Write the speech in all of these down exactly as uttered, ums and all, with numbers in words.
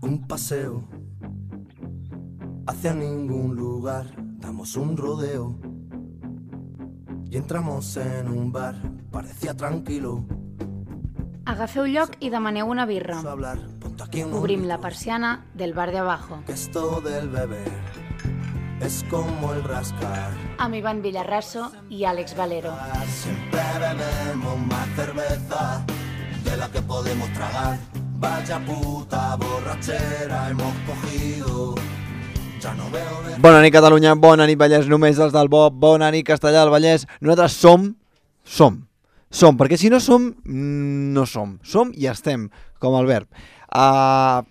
Un paseo hacia ningún lugar, damos un rodeo y entramos en un bar, parecía tranquilo. Agafeu lloc i demaneu una birra. Hablar, ponte aquí unos Obrim la litros, persiana del bar de abajo. que esto del beber es como el rascar. Amb Ivan Villarraso i Àlex Valero. Siempre bebemos más cerveza de la que podemos tragar. Vaya puta borrachera hemos cogido. Ya no veo de... Bona nit Catalunya, bona nit Vallès, només els del Bob, bona nit Castellà del Vallès. Nosaltres som, som, som, perquè si no som, no som. Som i estem, com el verb. Uh,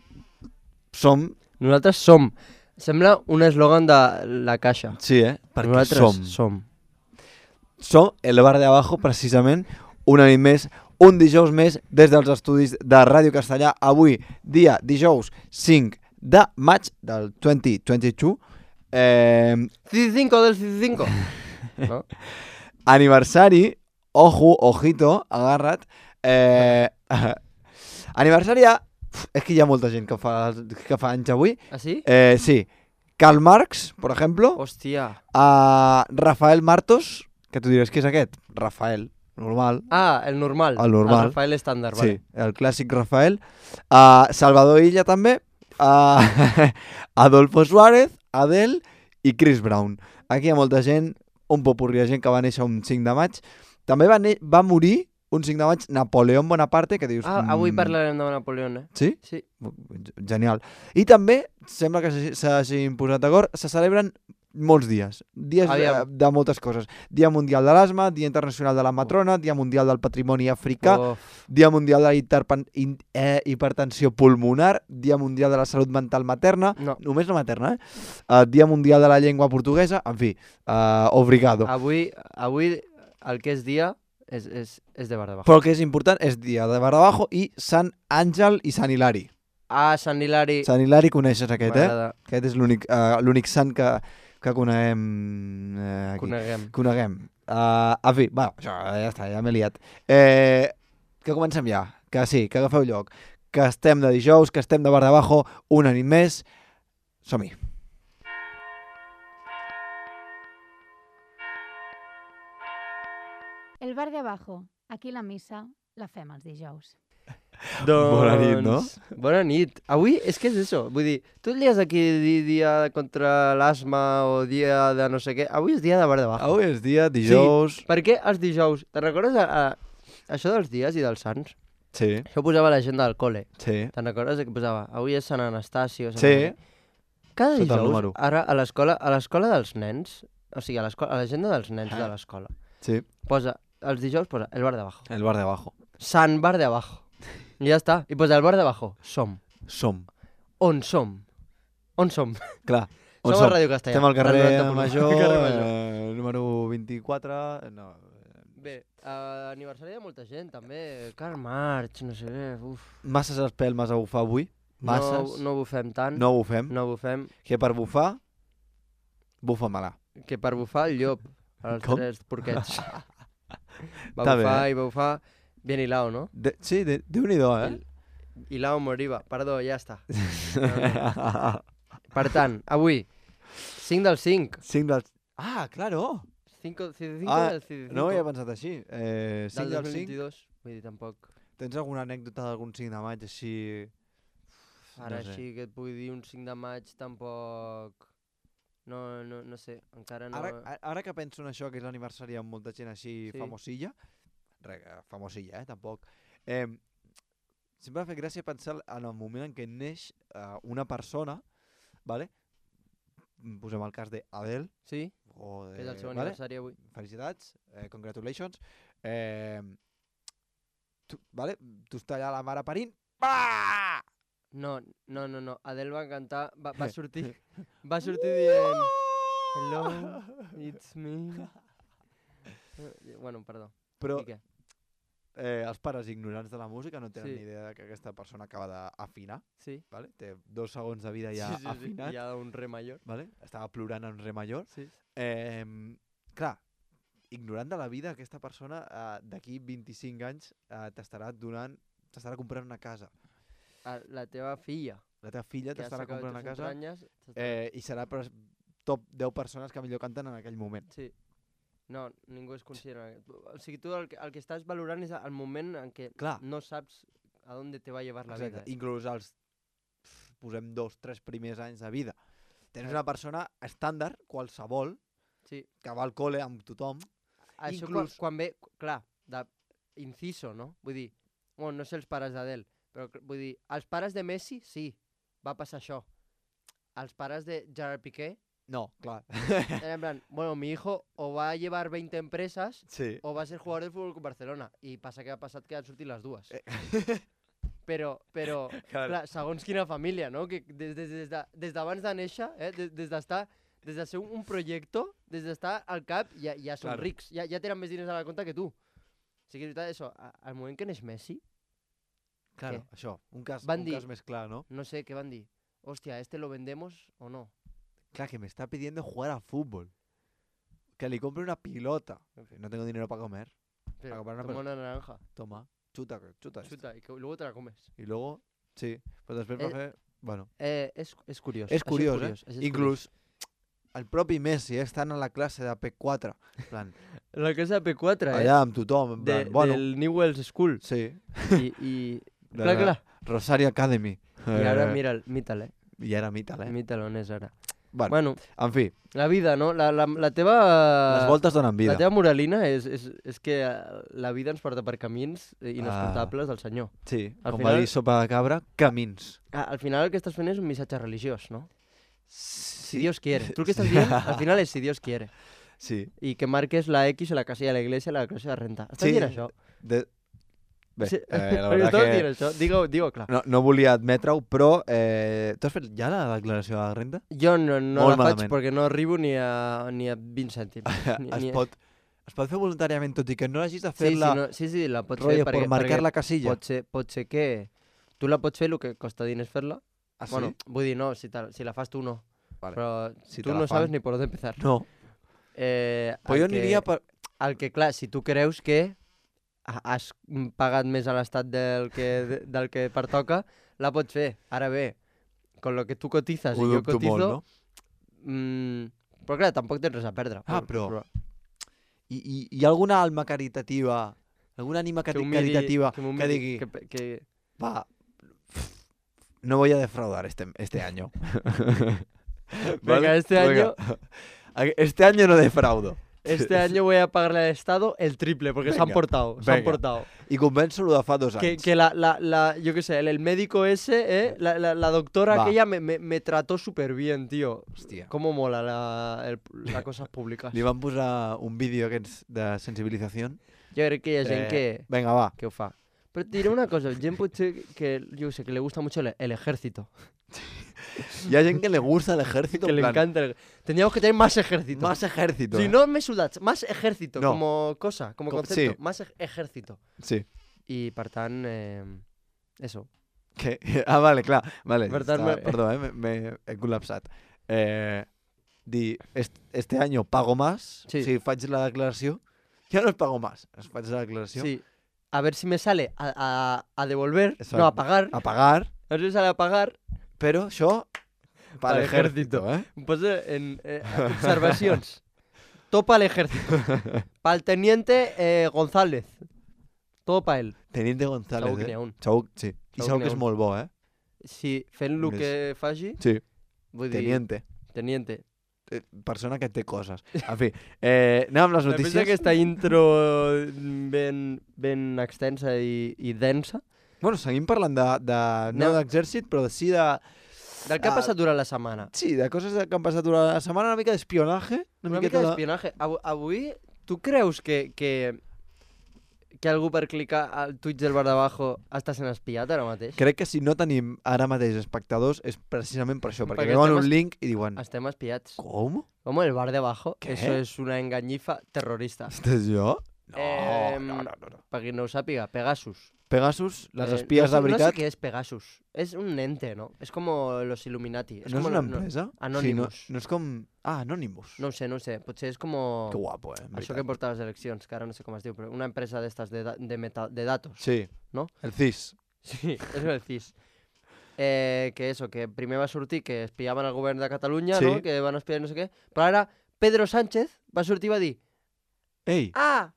som... Nosaltres som. Sembla un eslògan de la Caixa. Sí, eh? Perquè Nosaltres som. som. Som el bar de abajo, precisament, una nit més, un dijous més, des dels estudis de Ràdio Castellà. Avui, dia dijous cinc de maig del dos mil vint-i-dos. Eh, C cinco del C cinco. No? aniversari, ojo, ojito, agarra't. Eh, aniversari ja... És que hi ha molta gent que fa, que fa anys avui. ¿Ah, sí? Eh, sí. Karl Marx, por ejemplo. Hòstia. A Rafael Martos, que tu diràs, què és aquest? Rafael, normal. Ah, el normal. El normal. El Rafael estàndard, Sí, vale. el clàssic Rafael. Uh, Salvador Illa també. Uh, Adolfo Suárez, Adele i Chris Brown. Aquí hi ha molta gent, un popurrí de gent que va néixer un cinc de maig. També va, va morir un cinc de maig Napoleón Bonaparte, que dius... Ah, avui parlarem de Napoleón, eh? Sí? Sí. Genial. I també, sembla que s'hagin posat d'acord, se celebren molts dies. Dies de, de moltes coses. Dia Mundial de l'Asma, Dia Internacional de la Matrona, Dia Mundial del Patrimoni Africà, Uf. Dia Mundial de la hiperpen, in, eh, hipertensió pulmonar, Dia Mundial de la Salut Mental Materna, no. només la materna, eh? Uh, Dia Mundial de la Llengua Portuguesa, en fi, uh, obrigado. Avui, avui el que és dia és, és, és de bar de bajo. Però el que és important és dia de bar de bajo i Sant Àngel i Sant Hilari. Ah, Sant Hilari. Sant Hilari coneixes aquest, eh? Aquest és l'únic uh, l'únic sant que, que coneguem eh, aquí. Coneguem. Coneguem. Uh, en fi, bueno, això, ja està, ja m'he liat. Eh, que comencem ja, que sí, que agafeu lloc, que estem de dijous, que estem de bar de bajo, una nit més. Som-hi. El bar de abajo. Aquí la missa la fem els dijous. Doncs... Bona nit, no? Bona nit. Avui és que és això. Vull dir, tu et lies aquí dia contra l'asma o dia de no sé què. Avui és dia de bar de bajo. Avui és dia, dijous... Sí, per què els dijous? Te'n recordes a, a, això dels dies i dels sants? Sí. Això posava la gent del col·le. Sí. Te'n recordes que posava? Avui és Sant Anastasi o Sant Sí. Anastasi. Cada Sota dijous, ara a l'escola a l'escola dels nens, o sigui, a l'agenda dels nens de l'escola, sí. posa, els dijous posa el bar de abajo. El bar de abajo. Sant bar de abajo. I ja està. I posa el bar de abajo. Som. Som. On som? On som? Clar. On som? Som a Ràdio Castellà. Estem al carrer noranta Major, carrer Major. Eh, número vint-i-quatre... No. Bé, uh, aniversari de molta gent, també. Karl Marx, no sé què, uf. Masses espelmes a bufar avui. Masses. No, no bufem tant. No bufem. No bufem. Que per bufar, bufa-me-la. Que per bufar el llop. Els Com? tres porquets. Va Està bufar bé, eh? i va bufar bien hilao, ¿no? De, sí, de, Déu-n'hi-do, eh? Il, hilao moriva. Perdó, ja està. No, no. Per tant, avui, cinc del cinc. cinc del... Ah, claro! cinco, cinco ah, del cinco. No ho havia pensat així. Eh, cinc del del dos mil cinc. vint-i-dos. Vull dir, tampoc... Tens alguna anècdota d'algun cinc de maig així... Ara no sé. així que et pugui dir un cinc de maig tampoc... No, no, no sé, encara no... Ara, ara que penso en això, que és l'aniversari amb molta gent així Sí. famosilla, re, famosilla, eh, tampoc, eh, sempre m'ha fet gràcia pensar en el moment en què neix uh, una persona, vale? Posem el cas d'Adele, Sí? o de, És el seu vale? aniversari avui. Felicitats, eh, congratulations. Eh, tu, vale? Tu estàs allà la mare parint, bah! No, no, no, no. Adele va cantar, va, va sortir, va sortir dient hello, it's me. Bueno, perdó. Però I què? eh, els pares ignorants de la música no tenen Sí. ni idea de que aquesta persona acaba d'afinar, Sí. vale? Té dos segons de vida ja sí, sí, afinat, sí. Ja un re major. vale? Estava plorant en re major. Sí. Eh, clar, ignorant de la vida, aquesta persona eh, d'aquí vint-i-cinc anys eh, t'estarà donant t'estarà comprant una casa. A la teva filla, La teva filla que ha t'estarà sacat comprant una tus casa entranyes, t'estarà- eh, i serà per top deu persones que millor canten en aquell moment. Sí. No, ningú es considera... O sigui, tu el que, el que estàs valorant és el moment en què Clar. no saps a on te va llevar la Exacte. vida. Eh? Inclús els, pf, posem dos, tres primers anys de vida. Tens Clar. una persona estàndard, qualsevol, Sí. que va al col·le amb tothom. Això Inclús- quan, quan ve, clar, de inciso, no? Vull dir, bueno, no sé els pares d'Adel, però cl- vull dir, els pares de Messi, sí, va passar això. Els pares de Gerard Piqué, No, clar. era en plan, bueno, mi hijo o va a llevar veinte empresas Sí. o va a ser jugador del Fútbol Club Barcelona. I passa que ha passat que han sortit les dues. Eh. Però, però, Clar. clar, segons quina família, no? Que des, des, des, de, des d'abans de néixer, eh? des, des d'estar... Des de ser un, un projecte, des d'estar al cap, ja, ja són Claro. rics. Ja, ja tenen més diners a la compte que tu. O sigui, és veritat, això, a- al moment que neix Messi, Claro, Què? això, un cas, Van un dir- cas més clar, ¿no? no sé què van dir. Hòstia, ¿este lo vendemos o no? Claro, que me está pidiendo jugar a fútbol. Que le compre una pilota. No tengo dinero para comer. Pero, comprar una toma pelota. una naranja, Toma, chuta, chuta. esto. chuta, y que luego te la comes. Y luego, sí, pues després va Eh, fer... Bueno, Eh, és, és curiós. és això curiós, curiós, eh? això és Inclús el propi Messi eh, estant a la classe de P quatre, en plan, curiós. La casa P quatre, eh? allà amb tothom, en de, plan, bueno, del Newell's School. sí, I, i... de clar, la clar. Rosario Academy. I ara, Eh, mira'l, míta'l, eh? I ara mita'l, eh? Míta'l on és ara. Bueno, Bueno, en fi, la vida, no? La, la, la teva... les voltes donen vida. La teva moralina és, és, és que eh, la vida ens porta per camins eh, inescrutables del senyor. Sí, Al com final- va dir Sopa de Cabra, camins. Ah, al final el que estàs fent és un missatge religiós, no? Sí. Si Dios quiere. Tu el que estàs dient, al final és si Dios quiere. Sí. I que marques la X en la casilla de la iglesia i la declaració de renta. Estàs Sí. dient això? De... Bé, Sí. eh, la Perquè veritat estàs que... dient això? Digue-ho digue clar. No, no volia admetre-ho, però eh, tu has fet ja la declaració de la renta? Jo no, no Molt la faig malament. perquè no arribo ni a, ni a vint cèntims. Ni, es, ni... pot, es pot fer voluntàriament, tot i que no hagis de Sí, sí, fer-la no, sí, sí, la pots rotllo fer perquè, per marcar perquè la casilla. pot ser, pot ser que tu la pots fer, el que costa diners fer-la. Ah, sí? Bueno, vull dir, no, si, te, si la fas tu no. Vale. Però Si tu te la no sabes fan. ni por dónde empezar. No, Eh, però el jo que- aniria per... El que, clar, si tu creus que ha- has pagat més a l'estat del que, del que pertoca, la pots fer. Ara bé, con lo que tu cotizas Ho i jo dubto cotizo... molt, no? mm, però clar, tampoc tens res a perdre. Ah, però- I, i, hi ha alguna alma caritativa, alguna ànima que cari ho miri- caritativa que, m'ho que miri- digui, Que, pe- que... va, no voy a defraudar este, este año. Venga, este año- Este año no defraudo. Este año voy a pagarle al Estado el triple, porque se han Venga, portado, se han venga. portado. I convenço-lo de fa dos Que, anys. que la, la, la, yo qué sé, el, el médico ese, ¿eh? la, la, la doctora Va. aquella me, me, me trató súper bien, tío. Hòstia. Cómo mola la, el, la cosas públicas. Li van posar un vídeo aquests de sensibilització. Jo crec que hi ha gent Eh, que, Vinga, va. que ho fa. Però et diré una cosa, gent potser que, yo qué sé, que le gusta mucho el, el ejército. Hi ha gent que le gusta el ejército. Que en le plan, encanta. el- Tendríamos que tener más ejército. Más ejército. Si eh. no me sudas, más ejército, No. como cosa, como Com- concepto. sí. Más ej- ejército. Sí. I, per tant, eh, eso. Que... Ah, vale, clar. Vale, Per tant, està- me- Perdó, eh? me- me he col·lapsat. Eh, dir, est este año pago más. Sí. Si faig la declaració, ja no es pago más. Es faig la declaració. Sí. A ver si me sale a, a, a devolver, Exacto. no, a pagar. A pagar, A ver si me sale a pagar. però això para Para el el ejército, eh? Pues eh, en eh, observacions. Topa al ejército. Para el teniente eh, González. Todo para él. Teniente González, Segur que n'hi eh? ha un. Segur, sí. I Segur segur que que n'hi ha és molt bo, eh? Si fent el Més- que faci, Sí, vull dir... teniente. Teniente. Eh, Persona que té coses. En fi, eh, anem amb les Després notícies. d'aquesta intro ben, ben extensa i, i densa, Bueno, seguim parlant de, de no No. d'exèrcit, però de sí de... del que ha Ah, passat durant la setmana. Sí, de coses que han passat durant la setmana, una mica d'espionatge. Una, Una miqueta mica d'espionatge. Avu- Avui, tu creus que, que, que algú per clicar al Twitch del bar d'abajo està sent espiat ara mateix? Crec que si no tenim ara mateix espectadors és precisament per això, perquè, Perquè veuen estem un es- link i diuen Estem espiats. com? Com el bar de abajo? ¿Qué? Eso es una engañifa terrorista. Estàs jo? No, Em, no, no, no, no. Per qui no ho sàpiga, Pegasus. Pegasus, les Eh, espies no sé, de veritat, No sé què és Pegasus. És un ente, no? És com los Illuminati. no és com una no- empresa? Anonymous. Sí, no, no és com... Ah, Anonymous. No ho sé, no ho sé. Potser és com... Que guapo, eh? en Això veritat. que porta les eleccions, que ara no sé com es diu, però una empresa d'estes de, da- de, meta, de datos. Sí. No? El C I S. Sí, eso decís. Eh, que eso, que primer va sortir que espiaven el govern de Catalunya, Sí. no? Que van espiar no sé què. Però ara Pedro Sánchez va sortir i va dir Ei! ah,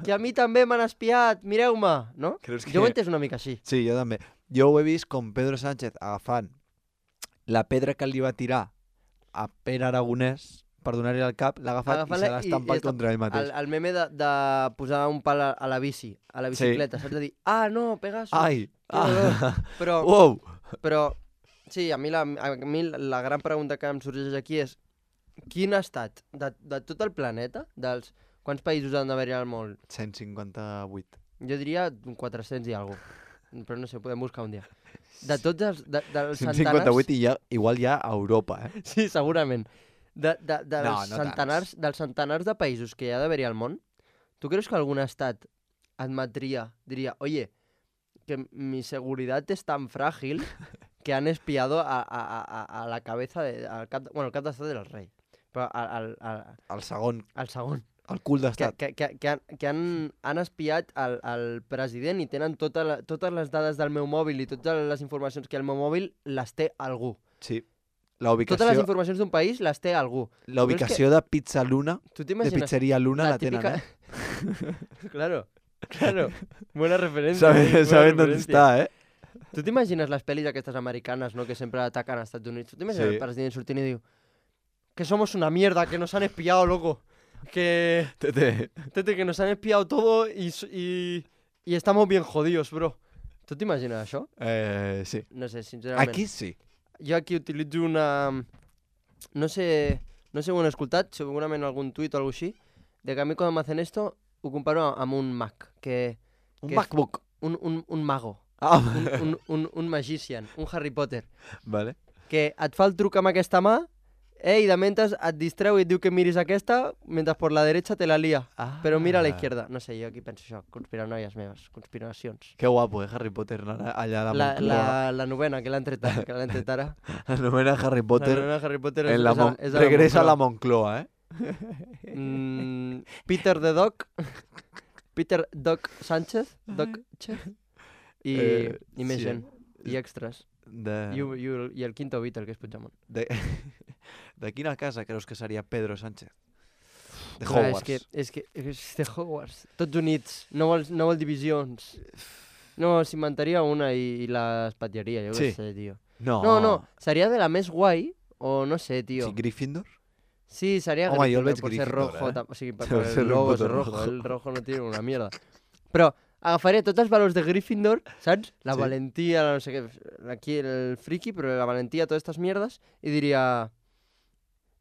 que a mi també m'han espiat, mireu-me, no? Creus que... Jo ho he entès una mica així. Sí, jo també. Jo ho he vist com Pedro Sánchez agafant la pedra que li va tirar a Pere Aragonès per donar-li al cap, l'ha agafat i se l'ha estampat contra ell mateix. El, el meme de, de posar un pal a, a la bici, a la bicicleta, sí. Saps? De dir, ah, no, Pegasus. Ai! Ah. Però, Uou! però, sí, a mi, la, a mi la gran pregunta que em sorgeix aquí és quin ha estat de, de tot el planeta, dels quants països han d'haver-hi al món? cent cinquanta-vuit. Jo diria quatre-cents i alguna cosa, però no sé, podem buscar un dia. De tots els, de, dels cent centenars... cinquanta-vuit i ja, igual ja a Europa, eh? Sí, segurament. De, de, de No, dels, no centenars, dels centenars de països que hi ha d'haver-hi al món, tu creus que algun estat admetria, diria, oye, que mi seguridad es tan frágil que han espiado a, a, a, a la cabeza, de, al cap, bueno, el cap d'estat del rei, però al, al, al, El segon, al segon, el cul que, d'estat. que, que, que, han, que han, han espiat el, el president i tenen tota la, totes les dades del meu mòbil i totes les informacions que hi ha al meu mòbil les té algú. Sí. La ubicació, Totes les informacions d'un país les té algú. la ubicació de Pizza Luna, Tu de t'imagines? Pizzeria Luna, la, tenen, típica- eh? Claro, claro. Buena referencia. Saben, buena saben dónde referencia. està, eh? Tu t'imagines les pel·lis aquestes americanes, no?, que sempre ataquen als Estats Units. Tu t'imagines Sí. el president sortint i diu que somos una mierda, que nos han espiado, loco. Que, Tete. tete, que nos han espiado todo y, s- y, y estamos bien jodidos, bro. Tu t'imagines això? Eh, sí. No sé, sincerament. Aquí sí. Jo aquí utilitzo una... No sé, no sé on he escoltat, segurament algun tuit o alguna així, de que a mi quan m'hacen esto ho comparo amb un mag, que... Un que MacBook. Un, un, un mago, Ah, un, un, un, un magician, un Harry Potter, vale. que et fa el truc amb aquesta mà, eh, i de mentes et distreu i et diu que miris aquesta, mentre per la derecha te la lia. Ah. Però mira a la izquierda. No sé, jo aquí penso això, conspiranoies meves, conspiracions. Que guapo, eh, Harry Potter, allà a la La, Moncloa. la, la novena, que l'han tret, ara, que l'han tret ara. La novena Harry Potter, La novena Harry Potter és, en la és, a, Mon- és a la regresa a la Moncloa. Moncloa, eh? Mm, Peter the Doc, Peter Doc Sánchez, Doc Chef, i, Eh, i més sí. gent, i extras. De, I, u- i, u- I el quinto Beatle, que és Puigdemont. de, de quina casa creus que seria Pedro Sánchez? De Clar, Hogwarts. És que, és que és de Hogwarts. Tots units, no vol, no vol divisions. No, s'inventaria una i, i l'espatllaria, jo Sí. què sé, tio. No, No, no, seria de la més guai, o no sé, tio. Sí, Gryffindor? Sí, sería Home, jo el Gryffindor veig por ser Gryffindor, rojo. eh? tam- Sí, per, Deu per ser el un logo puto és rojo. rojo. El rojo no tiene una mierda. Però agafaria tots els valors de Gryffindor, saps? La Sí. valentia, la no sé què, aquí el friki, però la valentia, totes aquestes mierdes, i diria...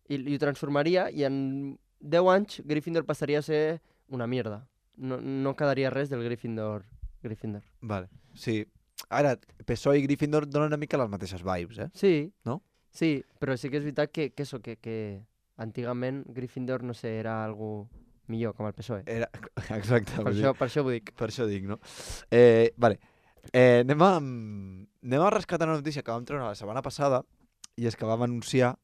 I, i ho transformaria, i en deu anys Gryffindor passaria a ser una mierda. No, no quedaria res del Gryffindor. Gryffindor. Vale, sí. Ara, P S O E i Gryffindor donen una mica les mateixes vibes, eh? Sí. No? Sí, però sí que és veritat que, que, eso, que, que antigament Gryffindor, no sé, era algo millor, com el P S O E. Era... Exacte. Per vull dir, això, per això ho dic. per això dic, no? Eh, vale. Eh, anem, a, anem a rescatar una notícia que vam treure la setmana passada i és que vam anunciar...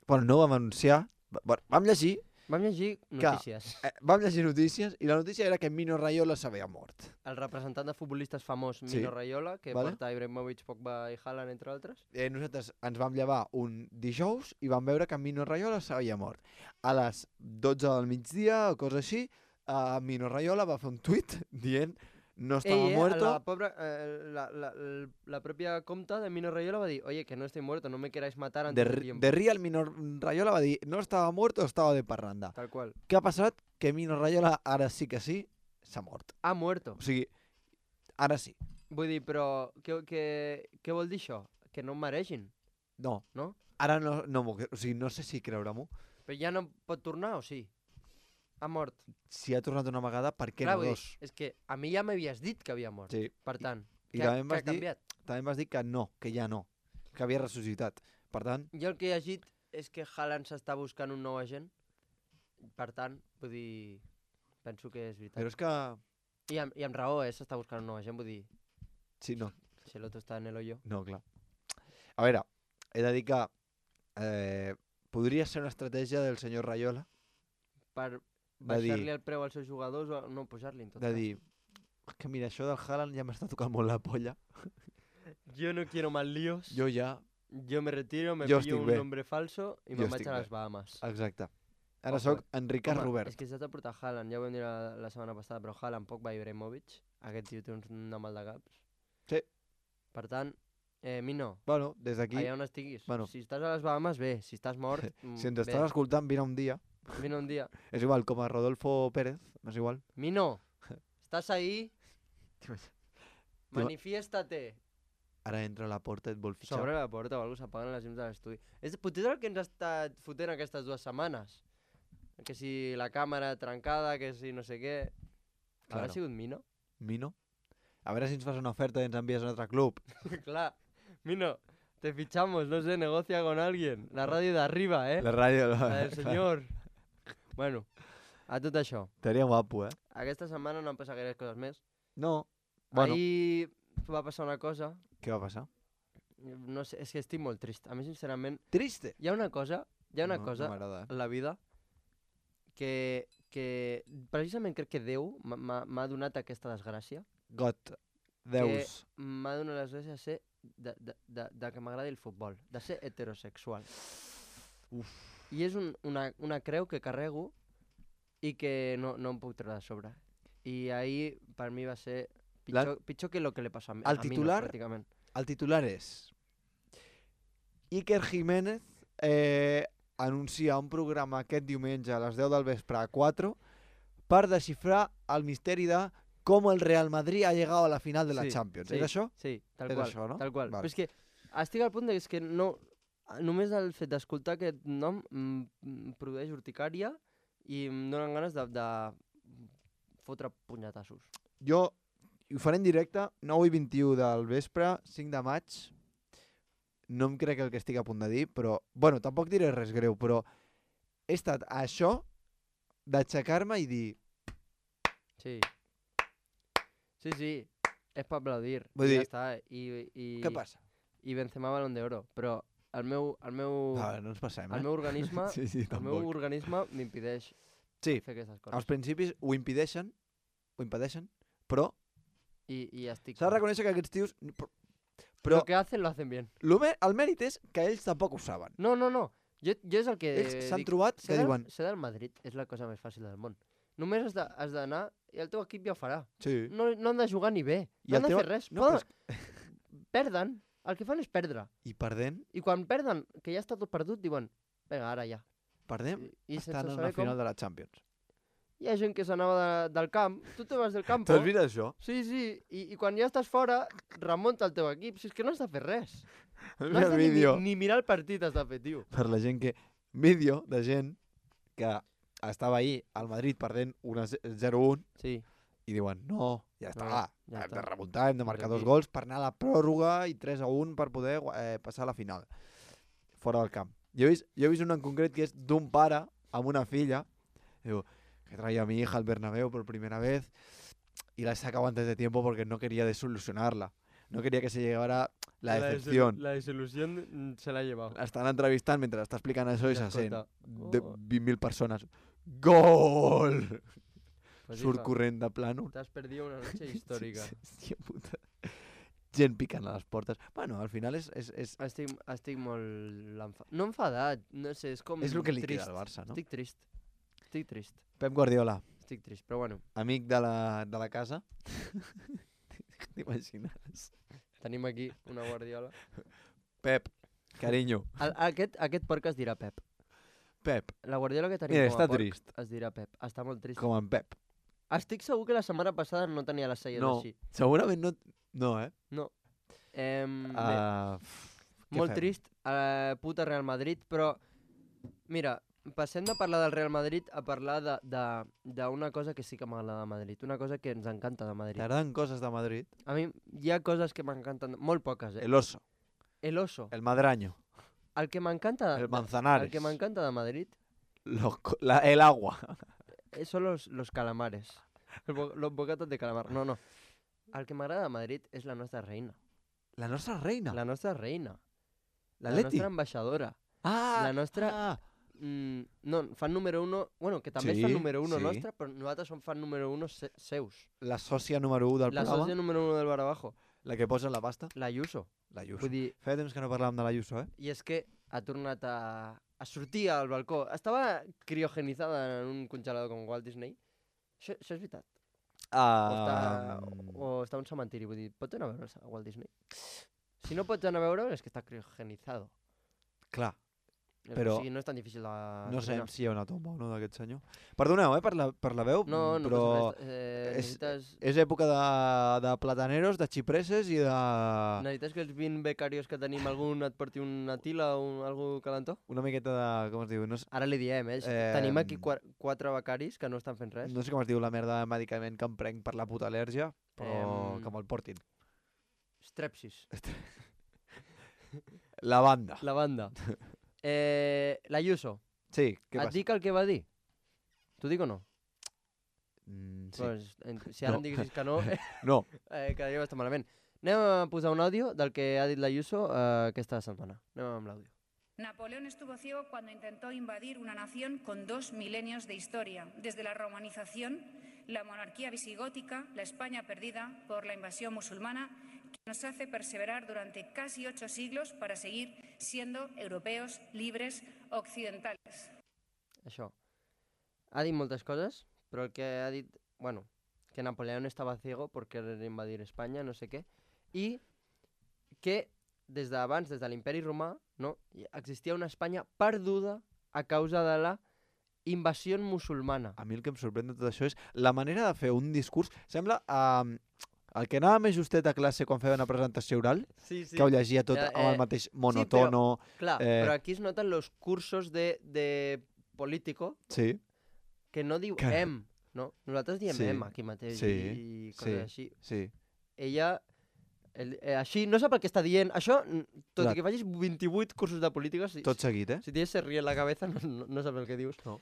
Bueno, no vam anunciar... Bueno, vam llegir, Vam llegir notícies. eh, vam llegir notícies i la notícia era que Mino Raiola s'havia mort. El representant de futbolistes famós, Sí. Mino Raiola, que Vale. porta Ibrahimovic, Pogba i Haaland, entre altres. Eh, nosaltres ens vam llevar un dijous i vam veure que Mino Raiola s'havia mort. A les dotze del migdia o cosa així, uh, Mino Raiola va fer un tuit dient no estaba Ell, eh, muerto. La, pobra, eh, la, la, la, la propia compta de Mino Raiola va dir, oye, que no estoy muerto, no me queráis matar antes De, de r- tiempo. de Real Mino Raiola va dir no estava muerto, estava de parranda. Tal qual. Què ha passat? Que Mino Raiola ara sí que sí s'ha mort. Ha muerto. O sigui, ara sí. Vull dir, però què, què, què vol dir això? Que no em maregin, No, no? ara no, no, m'ho cre- o sigui, no sé si creure-m'ho. Però ja no pot tornar o sí? Ha mort. Si ha tornat una vegada, per què Clar, no vull dir, dos? és que a mi ja m'havies dit que havia mort. Sí. Per tant, I què, també em què vas ha dir- canviat? També em vas dir que no, que ja no, que havia ressuscitat. Per tant, Jo el que he llegit és que Haaland s'està buscant un nou agent. Per tant, vull dir, penso que és veritat. però és que... I, amb, I amb raó, eh, s'està buscant un nou agent, vull dir, Sí, no, si l'altre està en el hoyo. no, clar. A veure, he de dir que eh, podria ser una estratègia del senyor Raiola Per de dir, baixar-li el preu als seus jugadors o no pujar-li, en tot de cas. dir Que mira, això del Haaland ja m'està tocant molt la polla. Yo no quiero más líos. Jo ja... Yo me retiro, me Jo pillo estic un bé. nombre falso i Jo me'n vaig estic a bé. les Bahamas. Exacte. Ara Ojo, sóc en Ricard Home, Robert. És que s'ha de portar Haaland, ja ho vam dir la, la setmana passada, però Haaland, Pogba i Ibrahimovic, aquest tio té una mal de caps. Sí. Per tant, eh, Mino, Bueno, des d'aquí, allà on estiguis, Bueno. si estàs a les Bahamas, bé, si estàs mort, mm, si ens bé, estàs escoltant, vine un dia. vine un dia. És igual, com a Rodolfo Pérez, és igual. Mino, estàs ahí? Manifiéstate. Ara entra a la porta i et vol fitxar. Sobre la porta o alguna cosa, s'apaguen les llums de l'estudi. És potser el que ens ha estat fotent aquestes dues setmanes. Que si la càmera trencada, que si no sé què... Claro. Haurà sigut Mino? Mino? A veure si ens fas una oferta i ens envies a un altre club. Clar. Mino, te fichamos, no sé, negocia con alguien. La ràdio d'arriba, eh? La ràdio... La del senyor. Bueno, a tot això. Estaria guapo, eh? Aquesta setmana no han passat gaire coses més. No. Bueno, Ahir va passar una cosa. què va passar? No sé, és que estic molt trist. A mi, sincerament, Triste. hi ha una cosa, hi ha una no, cosa No m'agrada, eh? en la vida que, que precisament crec que Déu m'ha- m'ha m'ha donat aquesta desgràcia. Got. Deus. M'ha donat la desgràcia de ser de, de, de, de que m'agradi el futbol, de ser heterosexual. Uf. I és un, una, una creu que carrego i que no, no em puc treure de sobre. I ahir per mi va ser pitjor, pitjor que lo que li passa a mi. El a mi, titular- no, pràcticament. El titular és... Iker Jiménez eh, anuncia un programa aquest diumenge a les deu del vespre a quatre per desxifrar el misteri de com el Real Madrid ha llegado a la final de la Sí, Champions. sí, És això? Sí, tal És qual. això, no? Tal qual. Vale. Però és que estic al punt de que és que no... Només el fet d'escoltar aquest nom em, em produeix urticària i em donen ganes de, de fotre punyetassos. Jo ho faré en directe, nou i vint-i-u del vespre, cinc de maig. No em crec el que estic a punt de dir, però... Bueno, tampoc diré res greu, però he estat a això d'aixecar-me i dir... Sí. Sí, sí. És per aplaudir. Vull I dir- ja està. I, i, Què passa? I Benzema Balón d'Oro. Però el meu, el meu, A veure, no ens passem, eh? el meu organisme, sí, sí, el meu tampoc. organisme m'impedeix Sí, fer aquestes als coses. principis ho impedeixen, ho impedeixen, però I, i estic... s'ha de reconèixer que aquests tios... Però, Però... però Lo que hacen, lo hacen bien. lo me- el mèrit és que ells tampoc ho saben. No, no, no. Jo, jo és el que Ells s'han dic. trobat Ser que del, diuen... ser del Madrid és la cosa més fàcil del món. Només has de- has d'anar i el teu equip ja ho farà. Sí. No, no han de jugar ni bé. I No el han de teu- fer res. no, Poden... però Perden. El que fan és perdre. I perdent, I quan perden, que ja està tot perdut, diuen, vinga, ara ja. perdem, I, i sense estan en saber la final com, de la Champions. hi ha gent que s'anava de, del camp. Tu te vas del camp. T'has vist això? Sí, sí. I, I quan ja estàs fora, remunta el teu equip. Si és que no has de fer res. No Mira has el de ni, vídeo ni mirar el partit has de fer, tio. per la gent que... Vídeo de gent que estava ahir al Madrid perdent zero un Sí. i diuen, no, ja està, No, ja hem està. de remuntar, hem de marcar Aquí. dos gols per anar a la pròrroga i tres a un per poder eh, passar a la final, fora del camp. Jo he vist, jo he vist un en concret que és d'un pare amb una filla, diu, que traía a mi hija al Bernabéu por primera vez y la he sacado antes de tiempo porque no quería desilusionarla. No quería que se llegara la decepción. La desilusión se la ha llevado. La estan entrevistant mentre està explicant això i Ja se sent escolta. de Oh. vint mil persones. Gol! Pues Surt hija, corrent de plano. T'has perdido una noche històrica. Hòstia puta. Gent picant a les portes. Bueno, al final és... és, és, Estic, estic molt... enfa- No enfadat, no sé, és com és el que li trist. queda al Barça, no? Estic trist. Estic trist. Pep Guardiola, Estic trist, però bueno, amic de la, de la casa. T'imagines? tenim aquí una guardiola. Pep, carinyo. El, aquest, aquest porc es dirà Pep. Pep, La guardiola que tenim mira, com a està porc trist. es dirà Pep. Està molt trist. Com en Pep. Estic segur que la setmana passada no tenia les celles No, així. segurament no... No, eh? No. Em, bé, Uh, què molt fem? trist, uh, puta Real Madrid, però mira, passem de parlar del Real Madrid a parlar de- de- d'una cosa que sí que m'agrada de Madrid, una cosa que ens encanta de Madrid. T'agraden coses de Madrid? A mi hi ha coses que m'encanten, molt poques, eh? El oso, El oso. el madraño, El que m'encanta el de, manzanares, el que m'encanta de Madrid los co- la- el agua. eh, son los, los calamares. El bo- los bocatos de calamar. No, no. El que m'agrada de Madrid és la nostra reina. La nostra reina. La nostra reina. La L'Atleti. nostra ambaixadora. Ah, la nostra- Ah, Mm, no, fan número uno... Bueno, que també Sí, és fan número uno sí. nostre, però nosaltres som fan número uno se seus. La sòcia número u del La programa, sòcia número uno del Bar Abajo. la que posa en la pasta, La Ayuso. la Ayuso. Vull dir, Feia temps que no parlàvem de la Ayuso, eh? i és que ha tornat a, a sortir al balcó. Estava criogenitzada en un congelador com Walt Disney. Això, això és veritat. O està, Uh, o està a un cementiri, vull dir, pot anar a veure a Walt Disney? Si no pots anar a veure és que està criogenitzado. clar, Però... Però- O sigui, no és tan difícil de... no sé dominar. si hi ha una tomba o no d'aquest senyor. Perdoneu, eh, per la, per la veu, No, no però passa res. Eh, és- necessites... és època de, de plataneros, de xipreses i de... Necessites que els vint becarios que tenim algun et porti una tila o un, algú calentó? Una miqueta de... com es diu? No, sé- Ara li diem, eh? Eh, Tenim aquí qua quatre becaris que no estan fent res. no sé com es diu la merda de medicament que em prenc per la puta al·lèrgia, però Em, que me'l portin. Strepsis. La banda. La banda. Eh, la Ayuso. Sí, què Et passa? dic el que va dir? T'ho dic o no? Mm, sí. Pues, en- si ara No. em diguessis que no, eh, No, quedaria bastant malament. Anem a posar un àudio del que ha dit la Ayuso eh, aquesta setmana. Anem amb l'àudio. Napoleón estuvo ciego cuando intentó invadir una nación con dos milenios de historia, desde la romanización, la monarquía visigótica, la España perdida por la invasión musulmana, que nos hace perseverar durante casi ocho siglos para seguir siendo europeos libres occidentales. Això. Ha dit moltes coses, però el que ha dit, bueno, que Napoleón estava ciego por querer invadir Espanya, no sé què, i que des d'abans, des de l'imperi romà, no, hi- existia una Espanya perduda a causa de la invasió musulmana. a mi el que em sorprèn de tot això és la manera de fer un discurs. Sembla um, el que anava més justet a classe quan feia una presentació oral, Sí, sí. que ho llegia tot Eh, amb el eh, mateix monotono. Clar, eh, però aquí es noten los cursos de, de político Sí, que no diu Que- em, no? Nosaltres diem Sí, em aquí mateix sí, i, i coses sí. així. sí. Ella, el, eh, així, no sap el que està dient. Això, n- tot Clar. i que facis vint-i-vuit cursos de política, si, Tot seguit, eh? si tienes se ríe en la cabeza, no, no, no saps el que dius. No.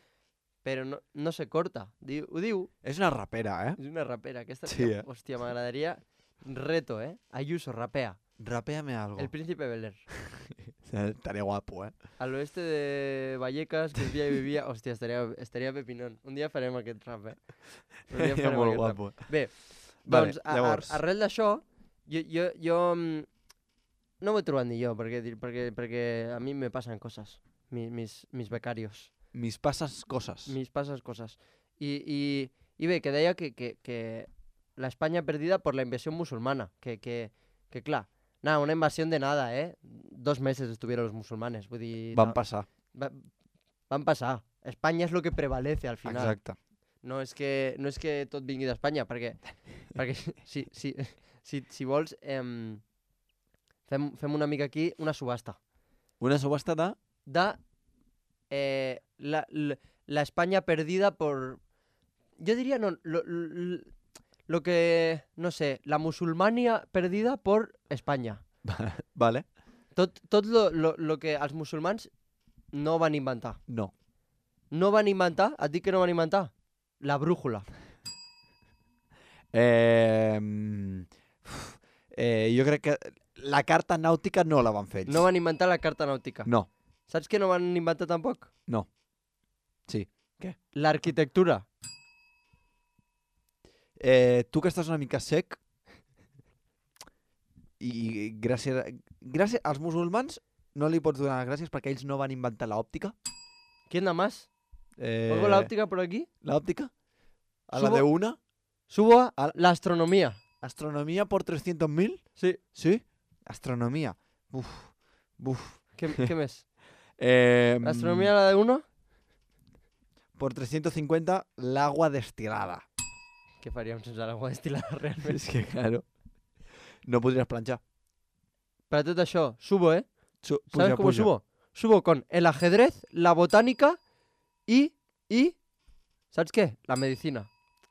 Però no, no se corta. Diu, ho diu, És una rapera, eh? és una rapera. Aquesta, Sí, eh? Hòstia, m'agradaria... Reto, eh? Ayuso, rapea. Rapéame algo. El príncipe Bel Air. Estaría guapo, eh? Al oeste de Vallecas, que un dia hi vivia... Hòstia, estaria, estaria pepinón. Un dia farem aquest rap, eh? Un dia Seria farem molt aquest rap. guapo. Bé, Vale, doncs, a, a, llavors. arrel d'això, jo, jo, jo mm, no m'ho he trobat ni jo, perquè, dir- perquè, perquè a mi me passen coses, mi, mis, mis becarios, Mis pasas cosas. mis passes coses. I, i, i bé, que deia que, que, que la España perdida por la invasión musulmana, que, que, que clar, nada, una invasión de nada, eh? Dos meses estuvieron los musulmanes, vull dir... Van no, passar. va, van passar. Espanya és lo que prevalece al final. Exacte. No és que, no és que tot vingui d'Espanya, perquè, perquè si, si, si, si vols, em, fem, fem una mica aquí una subhasta. Una subhasta de... De eh, la, la, la España perdida por... Yo diría, no, lo, lo, lo que, no sé, la musulmania perdida por Espanya. Vale. Tot, tot lo, lo, lo que els musulmans no van inventar. No. No van inventar, et dic que no van inventar, la brújula. Eh, mm, uf, eh, jo crec que la carta nàutica no la van fer ells. No van inventar la carta nàutica. No. Saps què no van inventar tampoc? No. Sí. L'arquitectura. Eh, tu que estàs una mica sec i gràcies, gràcies als musulmans no li pots donar les gràcies perquè ells no van inventar l'òptica. ¿Quién da más? Eh, ¿Pongo la óptica por aquí? ¿La óptica? A Subo- la de una. Subo a Al- la astronomía. ¿Astronomía por trescientos mil? Sí. Sí. Astronomía. Uf. Uf. ¿Qué, qué mes? Eh, ¿La astronomía la de uno? Por trescientos cincuenta, l'agua destilada. ¿Qué faríamos sense l'aigua destilada realment? És que, claro, no podries planxar. Para tot això, subo, ¿eh? Su, ¿Sabes cómo subo? Subo con el ajedrez, la botánica y... y... ¿Sabes qué? La medicina.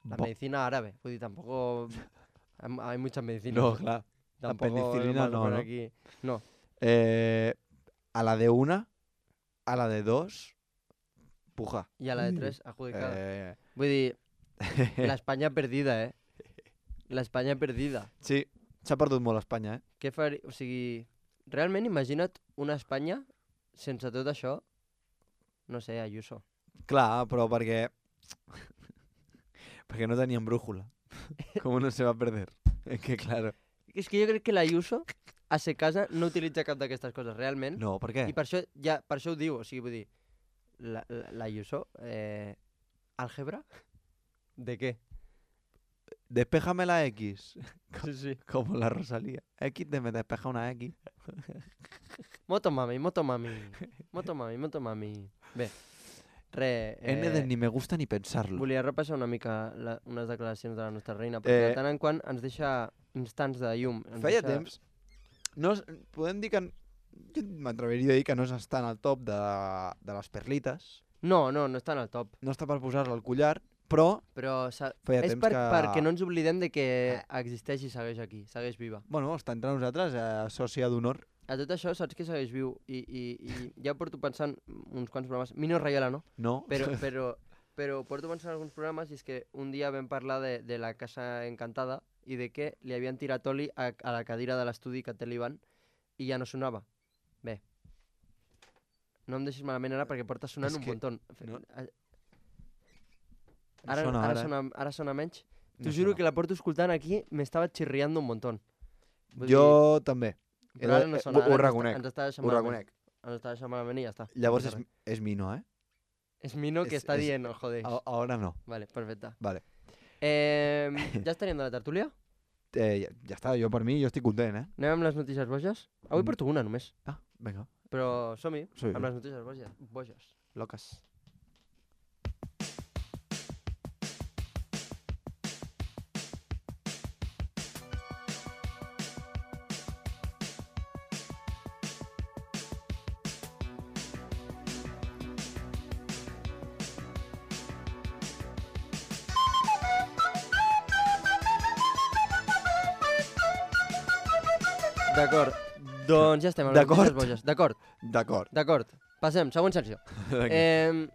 La Bo- medicina árabe. Vull dir, tampoco... Hay hay muchas medicinas. No, clar. La Tampoco penicilina vamos a no, poner no. Aquí. No. Eh, a la de una, a la de dos, puja. I a la de tres, adjudicada. Eh, Vull dir, la Espanya perdida, eh? La Espanya perdida. sí, s'ha perdut molt Espanya, eh? Què faria... O sigui, realment imagina't una Espanya sense tot això. no sé, Ayuso. Clar, però perquè... perquè no tenien brújula. Com no se va perder? Es que, claro... És que jo crec que l'Ayuso, a ser casa, no utilitza cap d'aquestes coses, realment. No, per què? I per això, ja, per això ho diu, o sigui, vull dir, l'Ayuso, eh, àlgebra? ¿De què? Despéjame la X. Sí, sí. Como la Rosalía. X de me despeja una X. Motomami, motomami, motomami, motomami. Bé, re... Eh, N de ni me gusta ni pensar-lo. Volia repassar una mica la, unes declaracions de la nostra reina, perquè Eh, de tant en quant ens deixa instants de llum. Ens Feia deixa... temps. No, es- podem dir que... Jo m'atreviria a dir que no està en el top de, de les perlites. No, no, no està en el top. No està per posar-la al collar, però... Però s'ha- Feia és temps per, que- perquè no ens oblidem de que existeix i segueix aquí, segueix viva. Bueno, està entre nosaltres, eh, sòcia d'honor. A tot això saps que segueix viu i, i, i ja porto pensant uns quants programes, Mino Rayola no, No? però, però, però porto pensant alguns programes i és que un dia vam parlar de, de la Casa Encantada i de que li havien tirat oli a, a la cadira de l'estudi que té l'Ivan i ja no sonava. Bé, no em deixis malament ara perquè porta sonant És un que muntó. no- Ara, Sona ara, ara. sona, ara sona menys. T'ho No juro sona. que la porto escoltant aquí, m'estava xirriando un muntó. Vull Jo també. dir, però ara no eh, sona, ho- ho ara ens està- reconec, Ens està deixant Ho malament. reconec. Ens està deixant malament i ja està. Llavors No és, passa res. és Mino, eh? És Mino que és- està és- dient, no joder. A- Ahora no. Vale, perfecte. Vale. Eh, ja estaríem de la tertúlia? Eh, ja, ja està, jo per mi, jo estic content, eh? Anem amb les notícies boges? Avui Mm. porto una només, Ah, vinga. però som-hi, Sí. amb les notícies boges. boges. Locas. D'acord, doncs ja estem amb les D'acord. notícies boges. D'acord, D'acord. d'acord. Passem, següent secció. Eh,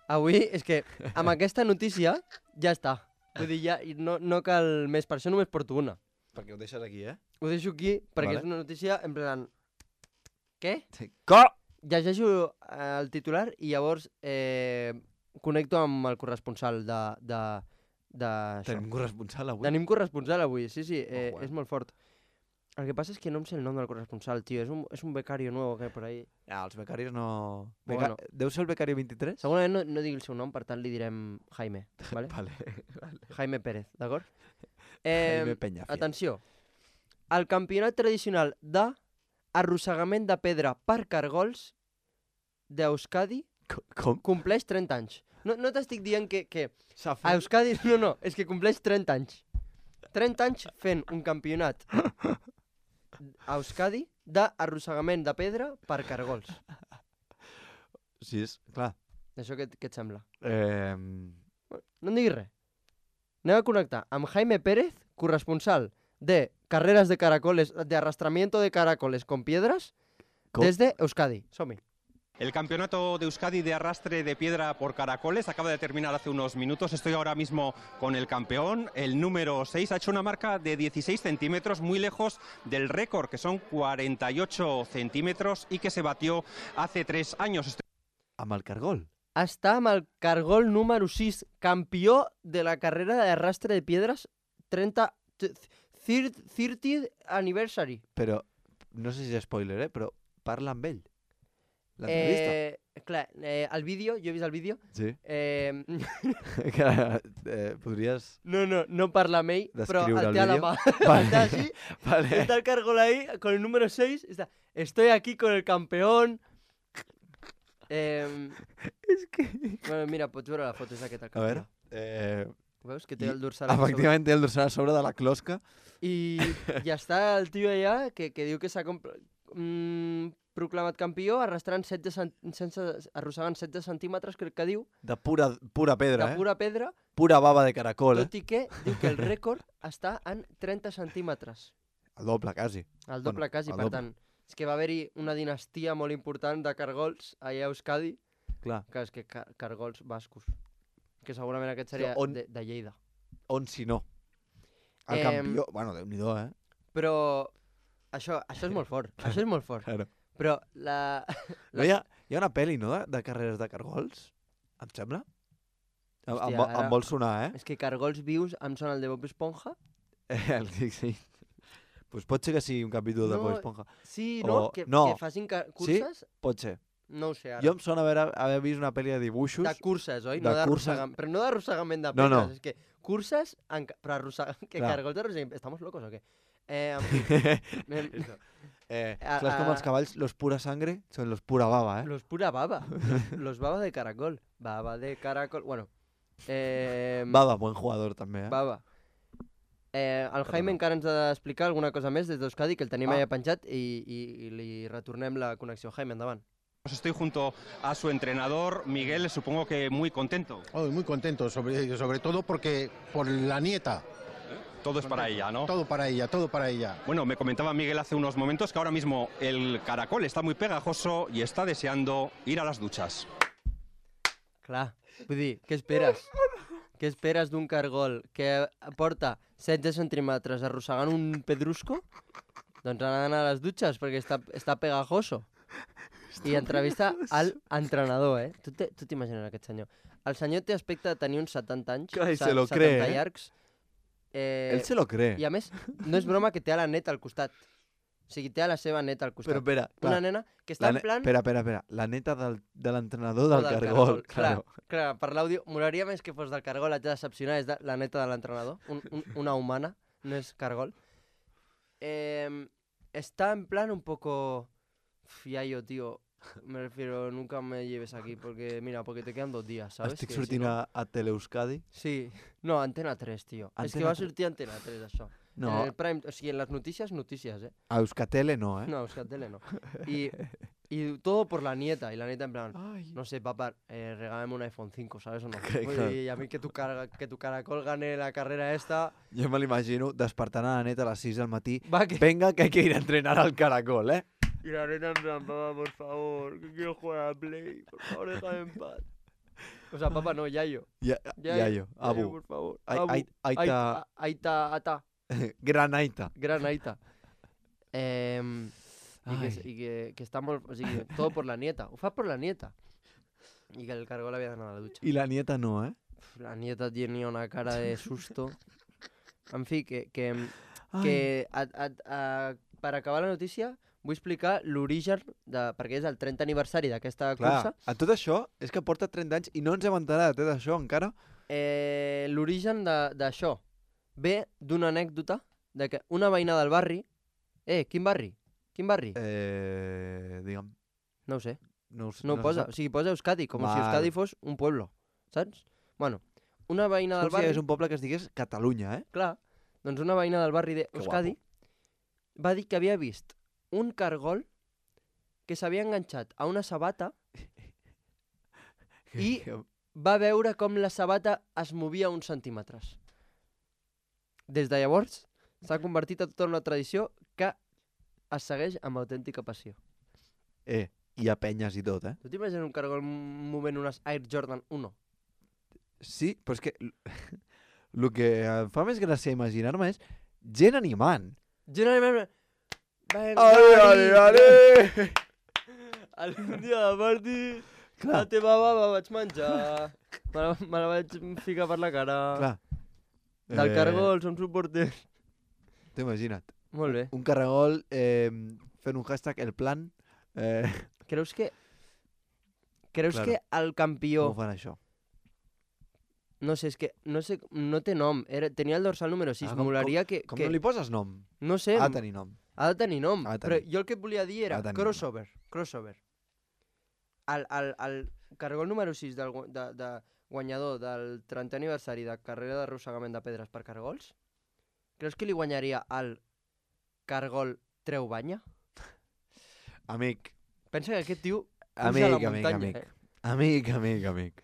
avui, és que amb aquesta notícia ja està. Vull dir, ja i no, no cal més, per això només porto una. Perquè ho deixes aquí, eh? Ho deixo aquí perquè Vale. és una notícia en plan... Què? Sí. Co! Llegeixo eh, el titular i llavors eh, connecto amb el corresponsal de, de, d'això. Tenim corresponsal avui. Tenim corresponsal avui, sí, sí, eh, Ojo, eh. és molt fort. El que passa és que no em sé el nom del corresponsal, tio, és un, és un becario nuevo que hay por ahí. Ah, els becaris no... Bueno. Beca... Deu ser el becari vint-i-tres? Segurament no, no digui el seu nom, per tant li direm Jaime, vale? Vale. vale. Jaime Pérez, d'acord? Jaime Eh, Peñafiel. atenció, el campionat tradicional de arrossegament de pedra per cargols d'Euskadi Co- Com? compleix trenta anys. No, no t'estic dient que, que S'ha a Euskadi... No, no, és que compleix trenta anys. trenta anys fent un campionat a Euskadi d'arrossegament de pedra per cargols. Sí, és... Clar. Això què, què et sembla? Eh... No em diguis res. Anem a connectar amb Jaime Pérez, corresponsal de carreras de caracoles, de arrastramiento de caracoles con piedras, Com? desde Euskadi. Som-hi. El campeonato de Euskadi de arrastre de piedra por caracoles acaba de terminar hace unos minutos. Estoy ahora mismo con el campeón, el número seis. Ha hecho una marca de dieciséis centímetros, muy lejos del récord, que son cuarenta y ocho centímetros y que se batió hace tres años. Estoy Amb el cargol. Està amb el cargol número sis, campió de la carrera de arrastre de piedras trenta... thirtieth anniversary. Però, no sé si és spoiler, eh? Però parla amb ell. L'entrevista. Eh, clar, eh, el vídeo, jo he vist el vídeo. Sí. Eh, que, eh, podries... no, no, no parla amb ell, però Descriure el el té a la vídeo? mà. Vale. Está así, Vale. está el cargol ahí, con el número seis. Está, estoy aquí con el campeón. Eh, És que... bueno, mira, pots veure la foto, és aquest el A campió. veure... Eh... Veus que té I- el dorsal aquí sobre? Efectivament, té el dorsal a sobre de la closca. I ja està el tio allà que, que diu que s'ha compl- mm, proclamat campió arrastrant setze cent... sense... arrossegant setze centímetres, crec que diu, De pura, pura pedra, de eh? pura pedra, Pura bava de caracol, eh? tot i que diu que el rècord està en trenta centímetres. El doble, quasi. El doble Bueno, quasi, el per doble. tant. És que va haver-hi una dinastia molt important de cargols allà a Euskadi, Clar. que és que ca cargols bascos, que segurament aquest seria on- de, de Lleida. On si no? El Em, campió... Bueno, Déu-n'hi-do, eh? Però això, això és molt fort, això és molt fort. Claro. Però la... No hi ha... Hi ha una pel·li, no?, de, de carreres de cargols, em sembla? Em, Hòstia, em, vo- ara- em vol sonar, eh? És que cargols vius em sona el de Bob Esponja. Eh, sí, sí. Pues pot ser que sigui un capítol de No, Bob Esponja. Sí, O- no? Que, no. que facin ca- curses? Pot ser. No ho sé ara. Jo em sona haver, haver vist una pel·li de dibuixos. De curses, oi? de No curses. d'arrossegament. Però no d'arrossegament de No, pedres. no. És que curses, en... ca- però arrossegar... Que Clar. cargols d'arrossegament... ¿Estamos locos o què? Eh, en fi, anem- eh, A- clar, és com a- els cavalls, los pura sangre, són los pura baba, eh? Los pura baba. Los, los baba de caracol. Baba de caracol... Bueno. Eh, Baba, buen jugador també, eh? Baba. Eh, el Jaime Perdona. encara ens ha d'explicar alguna cosa més des d'Euskadi, que el tenim Ah. allà penjat, i, i, i li retornem la connexió. Jaime, endavant. Estoy junto a su entrenador, Miguel, supongo que muy contento. Oh, muy contento, sobre, sobre todo porque por la nieta. Todo es para ella, ¿no? Todo para ella, todo para ella. Bueno, me comentaba Miguel hace unos momentos que ahora mismo el caracol está muy pegajoso y está deseando ir a las duchas. Clar, vull dir, què esperes? Què esperes d'un cargol que porta setze centímetres arrossegant un pedrusco? Doncs ha d'anar a les dutxes perquè està, està pegajoso. I entrevista al entrenador, eh? Tu te- tu t'imagines aquest senyor. El senyor té aspecte de tenir uns setanta anys, Clar, i se- se lo setanta cree, eh? llargs. Eh, Él se lo cree. I a més, no és broma que té a la neta al costat. O sigui, té a la seva neta al costat. Però espera, Una clar, nena que està la en ne- plan... espera, espera, espera. La neta del, de l'entrenador o del, del cargol, Clar, claro. clar, per l'àudio, molaria més que fos del cargol, haig de decepcionar, és de la neta de l'entrenador, un, un, una humana, no és cargol. Eh, está en plan un poco... Fiallo, tío, me refiero, nunca me lleves aquí, porque, mira, porque te quedan dos días, ¿sabes? Estic Que si sortint no- a, a Teleeuskadi. Sí, no, Antena tres, tio. És que Antena va tres. sortir a Antena tres, això. No, En el Prime, o sigui, en les notícies, notícies, eh? a Euskatele no, eh? No, Euskaltele no. Y, y todo por la nieta, y la nieta en plan... Ai. No sé, papá, eh, regálame un iPhone cinco, ¿sabes o no? Que- Vull claro. dir, y a mí que tu, cara, que tu caracol gane la carrera esta... Jo me l'imagino despertant a la neta a les sis del matí. Va, que... Venga, que hay que ir a entrenar al caracol, eh? Y la neta en plan, papá, por favor, que quiero jugar a Play, por favor, déjame en paz. O sea, papá, no, Yayo. Ya, Yayo, ya yo, Yayo, Abu. por favor. Ai- Abu. ai- Aita, Aita, Aita, Ata, gran Aita. gran Aita. Eh, y que, Ai. y que, que está molt... O sigui, todo por la nieta. Ho fa por la nieta. Y que el cargol había d'anar a la ducha. I la nieta no, eh? La nieta tenía una cara de susto. En fi, que, que, Ai. que a, a, a, per acabar la notícia vull explicar l'origen, de, perquè és el trentè aniversari d'aquesta Clar, cursa. a tot això és que porta trenta anys i no ens hem enterat eh, d'això encara. Eh, l'origen de- d'això ve d'una anècdota de que una veïna del barri... Eh, quin barri? Quin barri? Eh, digue'm, No ho sé. no, ho sé, No ho se posa. sap. O sigui, posa Euskadi, com si Val. Euskadi fos un pueblo. Saps? Bueno, una veïna És del com si hi barri... hagués un poble que es digués Catalunya, eh? Clar, doncs una veïna del barri Que d'Euskadi va dir que havia vist un cargol que s'havia enganxat a una sabata I- va veure com la sabata es movia uns centímetres. Des de llavors s'ha convertit en tota una tradició que es segueix amb autèntica passió. Eh, hi ha penyes i tot, eh? Tu t'imagines un cargol movent unes Air Jordan uno? Sí, però és que el que em fa més gràcia imaginar-me és gent animant. Generalment... Venga, Ale, ale, ale! Algun dia de party, Clar, la teva baba vaig menjar, me la, me la vaig ficar per la cara. clar. Del Eh, cargol, som suporters. T'ho imagina't. Molt bé. Un caragol eh, fent un hashtag, el plan. Eh, Creus que... Creus Claro. que el campió... com ho fan això? No sé, és que no, sé, no té nom. Era, tenia el dorsal número sis. Ah, Ah, com- Molaria que... Com que no li poses nom? no sé, Ha de tenir nom. ha de tenir nom. Ha de Però tenir. jo el que et volia dir era Ha de tenir crossover. Crossover. El, el, el cargol número sis del, gu- de, de guanyador del trentè aniversari de carrera d'arrossegament de pedres per cargols, creus que li guanyaria al cargol Treu Banya? Amic, Pensa que aquest tio puja amic, a la amic, muntanya, amic. eh? Amic, amic, amic.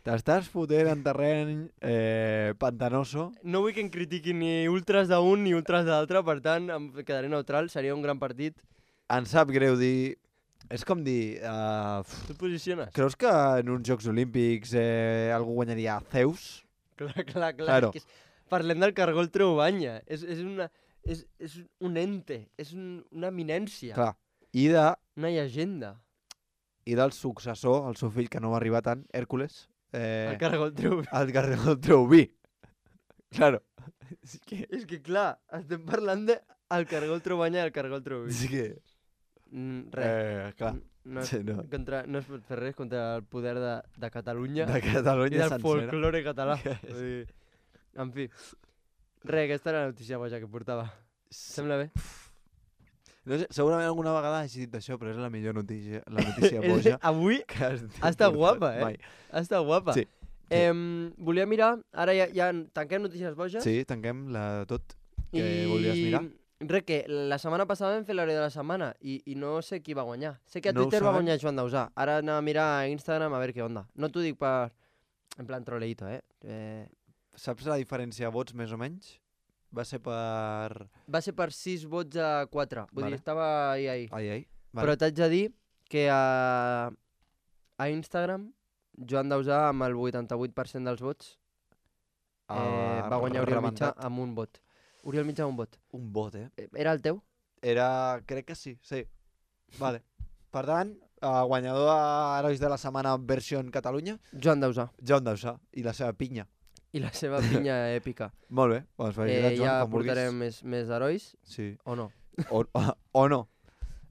T'estàs fotent en terreny eh, pantanoso. No vull que em critiquin ni ultras d'un ni ultras de l'altre, per tant, em quedaré neutral, seria un gran partit. Em sap greu dir... És com dir... Uh, Tu et posiciones? creus que en uns Jocs Olímpics eh, algú guanyaria Zeus? Clar, clar, clar. Claro. És que és... Parlem del cargol Treu Banya. És, és, una, és, és un ente, és un, una eminència, Clar. I de... una llegenda. i del successor, el seu fill, que no va arribar tant, Hèrcules. Eh, El cargol Treubi. El cargol Treubi. Claro. És que... És que, clar, estem parlant de el cargol Trobanya i el cargol Treubi. És que... Mm, res. Eh, clar. No, Sí, no. contra, no es pot fer res contra el poder de, de Catalunya De i Catalunya del sencera. folklore català. Que Vull dir, en fi. Res, aquesta era la notícia boja que portava. Sembla bé? No sé, segurament alguna vegada hagi dit això, però és la millor notícia, la notícia És- boja Avui que has dit ha estat per guapa, eh? mai. ha estat guapa. Sí. Eh, volia mirar, ara ja, ja tanquem notícies boges. Sí, tanquem la tot que I... volies mirar. Res, que la setmana passada vam fer l'hora de la setmana i, i no sé qui va guanyar. Sé que a No ho Twitter va sabem. guanyar Joan Dausà. Ara anem a mirar a Instagram a veure què onda. No t'ho dic per... en plan troleïto, eh? eh? Saps la diferència de vots, més o menys? Va ser per... Va ser per sis vots a quatre. Vull Vale. dir, estava ahí, ahí. Ai, ai. Però t'haig de dir que a, a Instagram Joan Dausà amb el vuitanta-vuit per cent dels vots eh, Ah, va guanyar Oriol Mitjà rebentat. amb un vot. Oriol Mitjà amb un vot. Un vot, eh? Eh, Era el teu? Era... crec que sí, sí. Vale. Per tant, uh, guanyador a Herois de la Setmana versió en Catalunya, Joan Dausà. Joan Dausà i la seva pinya. I la seva pinya èpica. Molt bé, doncs felicitats, Eh, Joan, ja com vulguis. portarem més, més herois, Sí. o no? O, o, o no.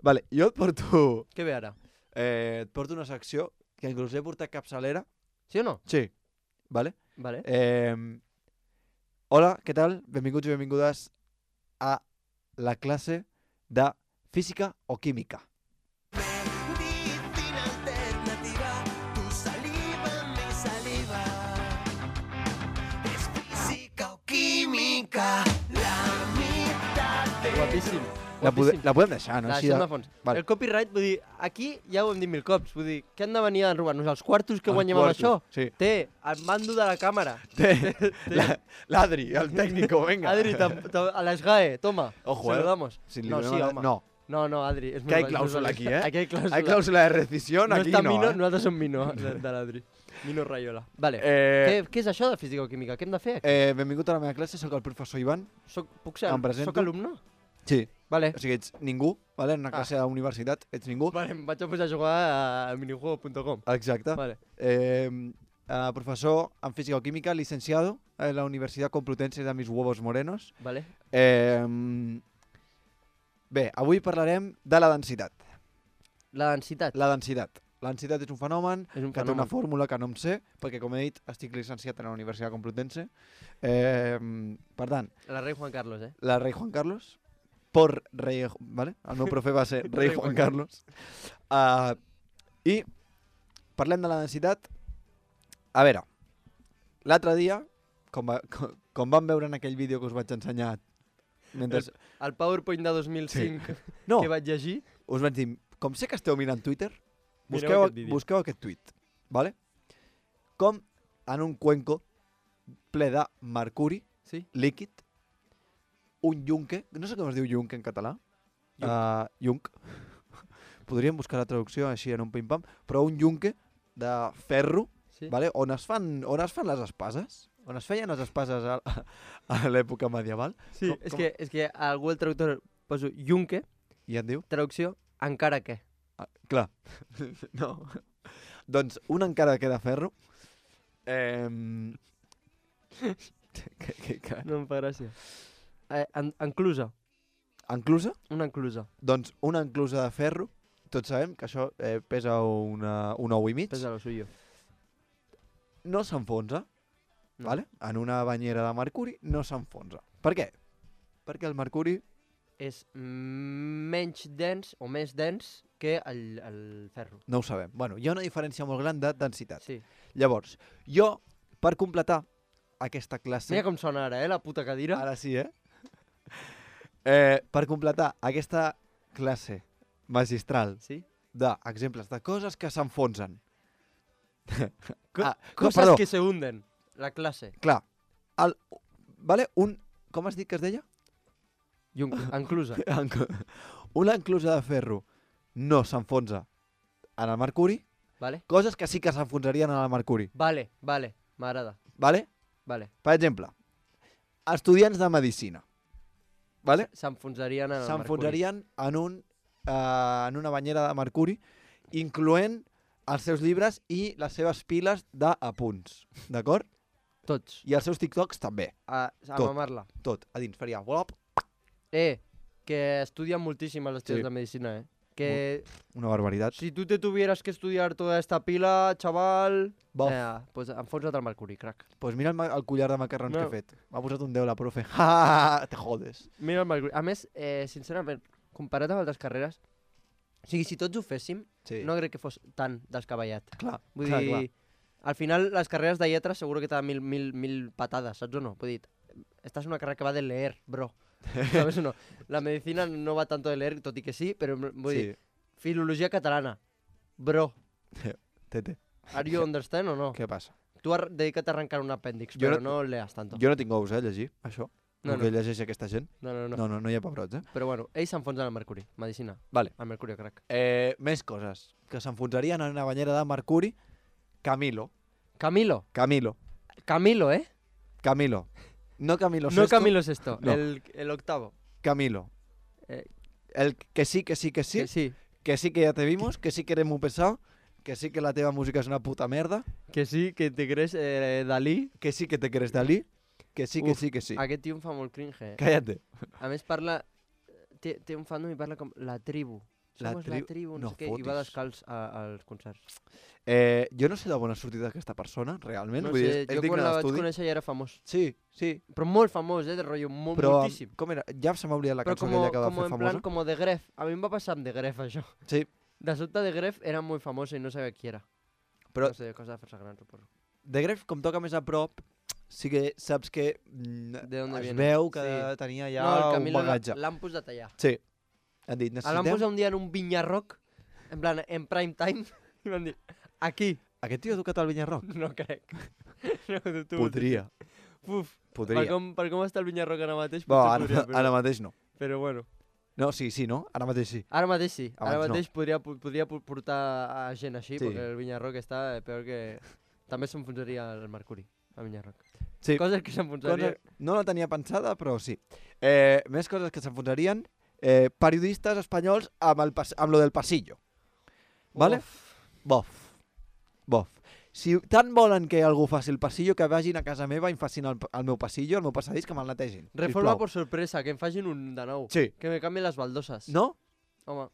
Vale, jo et porto... Què ve ara? Eh, et porto una secció que inclús he portat capçalera. Sí o no? Sí. Vale? Vale. Eh, hola, què tal? Benvinguts i benvingudes a la classe de física o química. Medicina alternativa, tu saliva, mi saliva. Es física o química, la mitad de... Guapíssim. La, pode, Guapíssim. la podem deixar, no? La Així deixem de... de fons. Vale. El copyright, vull dir, aquí ja ho hem dit mil cops, vull dir, què han de venir a robar-nos? Els quartos que Els guanyem quartos, amb això? sí. Té, el mando de la càmera. Té, la- l'Adri, el tècnico, venga. Adri, tam- tam- a la SGAE, toma. Ojo, se eh. lo damos. Si li no, donem sí, la- home. No, No, no, Adri. És que hay molt- clàusula molt- aquí, eh? Aquí hay clàusula. Hay clàusula de rescisión, no aquí està no, Mino, eh? nosaltres som Mino, de, de l'Adri. Mino Rayola. Vale. Eh, Què, què és això de física o química? Què hem de fer aquí? eh, benvingut a la meva classe, sóc el professor Ivan. Soc, puc ser, em presento. soc alumne? Sí. Vale. O sigui, ets ningú, vale? En una Ah. classe de la universitat, ets ningú. Vale, em vaig a posar a jugar a minijuego punt com. Exacte. Vale. Eh, eh, professor en física o química, licenciado en la Universidad Complutense de Mis Huevos Morenos. Vale. Eh, bé, avui parlarem de la densitat. La densitat. La densitat. La densitat és un fenomen És un que té una fenomen. fórmula que no em sé, perquè, com he dit, estic licenciat en la Universitat Complutense. Eh, per tant, La rei Juan Carlos, eh? la rei Juan Carlos, por rei... ¿vale? El meu profe va ser rei Rei Juan Juan Carlos. Uh, I parlem de la densitat. A veure, l'altre dia, com, va, com, com vam veure en aquell vídeo que us vaig ensenyar mentre... El PowerPoint de dos mil cinc No, que vaig llegir. us vaig dir, com sé que esteu mirant Twitter, Mireu busqueu, aquest vídeo. busqueu aquest tuit, ¿vale? Com en un cuenco ple de mercuri Sí? líquid, un yunque, no sé com es diu yunque en català, Yunc. uh, yunc, podríem buscar la traducció així en un pim-pam, però un yunque de ferro, Sí? vale? on, es fan, on es fan les espases, on es feien les espases a, a l'època medieval, Sí, Com- és, com- que, és que a Google Traductor poso Junque, i et diu, traducció, encara que. ah, clar, no, doncs un encara que de ferro, eh, que, que, que, No em fa gràcia. Eh, en, enclusa, enclusa, una enclusa. doncs una enclusa de ferro, tots sabem que això eh, pesa una, un ou i mig, Pesa lo suyo. no s'enfonsa, No. vale? En una banyera de mercuri no s'enfonsa. Per què? Perquè el mercuri, És menys dens o més dens que el, el ferro. no ho sabem. Bueno, hi ha una diferència molt gran de densitat. Sí. Llavors, jo, per completar aquesta classe... Mira com sona ara, eh, la puta cadira. Ara sí, eh? eh? Per completar aquesta classe magistral Sí? d'exemples de coses que s'enfonsen. Co Ah, coses perdó. que se hunden. La classe. Clar, el, vale, un... Com has dit que es deia? Junque, enclusa. Enc- Una enclusa de ferro no s'enfonsa en el mercuri, Vale? coses que sí que s'enfonsarien en el mercuri, Vale, vale. M'agrada. vale? Vale. Per exemple, estudiants de medicina, vale? S'enfonsarien en el mercuri. S'enfonsarien en, un, uh, en una banyera de mercuri incloent els seus llibres i les seves piles d'apunts, d'acord? Tots. I els seus TikToks també, A, a Tot. mamar-la. tot. A dins faria volop, Eh, que estudien muchísimo los estudios Sí. de medicina, eh. Que una barbaritat. si tú te tuvieras que estudiar toda esta pila, chaval... Bof. Eh, pues enfonsa't al mercuri, crac. Pues mira el, ma- el collar de macarrons No. que he fet. M'ha posat un deu la profe. Ja, te jodes. Mira el mercuri. A més, eh, sincerament, comparat amb altres carreres, o sigui, si tots ho féssim, Sí, no crec que fos tan descabellat. clar, Vull clar, dir, clar. al final les carreres de lletres seguro que te dan mil, mil, mil patadas, saps o no? Vull dir, esta es una carrera que va de leer, bro. ¿Sabes o no? La medicina no va tanto de leer, tot i que sí, però vull Sí, dir, filologia catalana, bro, tete, are you understand o no? què passa? Tu ar dedica't a arrencar un apèndix, Jo però no- no, leas tanto. Jo no tinc ous, eh, a llegir, això. No, El no. que llegeix aquesta gent. No, no, no, No, no, no hi ha pebrots, eh? Però bueno, ells s'enfonsen al mercuri, medicina. Vale. Al mercuri, crac. Eh, més coses que s'enfonsarien en una banyera de mercuri. Camilo. Camilo, Camilo. Camilo, ¿eh? Camilo. No Camilo No Sesto. Camilo es esto, No. el, el octavo. Camilo. Eh, El que sí, que sí, que sí. que sí, Que sí que ya te vimos. Que sí que eres muy pesado. Que sí que la teva música es una puta merda. que sí, que te crees eh, Dalí. Que sí que te quieres Dalí. Que sí, que Uf, sí, que sí. Aquest tio em fa molt cringe, eh? Cállate. A més parla... Té, té un fandom i parla com la tribu. La Somos tribu- la tribu, no, no sé què, i va fotis. descalç a, als concerts. Eh, jo no sé d'on ha sortit aquesta persona, realment. No Vull dir, sé, és, és jo digne quan la vaig d'estudi. conèixer ja era famós. Sí, sí. Però molt famós, eh, de rotllo, molt, Però, moltíssim. com era? Ja se m'ha oblidat la Però cançó com, aquella que va com fer en famosa. plan, com de Gref. A mi em va passar amb de Gref, això. Sí, De sobte de Gref era molt famosa i no sabia qui era. però No sé, cosa de fer-se gran, suposo. de Gref, com toca més a prop, sí que saps que mm, De dónde es viene. veu que Sí. tenia ja no, el un Camilo l'ha- bagatge. l'han posat allà. Sí. Han dit, El van necessitem... posar un dia en un Vinyarroc, en plan, en prime time, i van dir, aquí. Aquest tio ha tocat al Vinyarroc? No crec. No, tu, tu, Podria. Uf, per Podria. com, per com està el Vinyarroc ara mateix, Bo, potser ara, podria, però, ara mateix no. però bueno. No, sí, sí, no? Ara mateix sí. Ara mateix sí, ara Abans no. mateix podria, po- podria po- portar a gent així, Sí. perquè el Vinyarroc està peor que... També s'enfonsaria el Mercuri, el Vinyarroc. Sí. Coses que s'enfonsaria... Cosa... No la tenia pensada, però sí. Eh, més coses que s'enfonsarien. Eh, periodistes espanyols amb, el pas... amb lo del pasillo. Vale? Bof. Bof. Si tant volen que algú faci el pasillo, que vagin a casa meva i em facin el, el meu pasillo, el meu passadís, que me'l netegin. Reforma sisplau. por sorpresa, que em facin un de nou. Sí. Que me cambien les baldoses. ¿No? Home,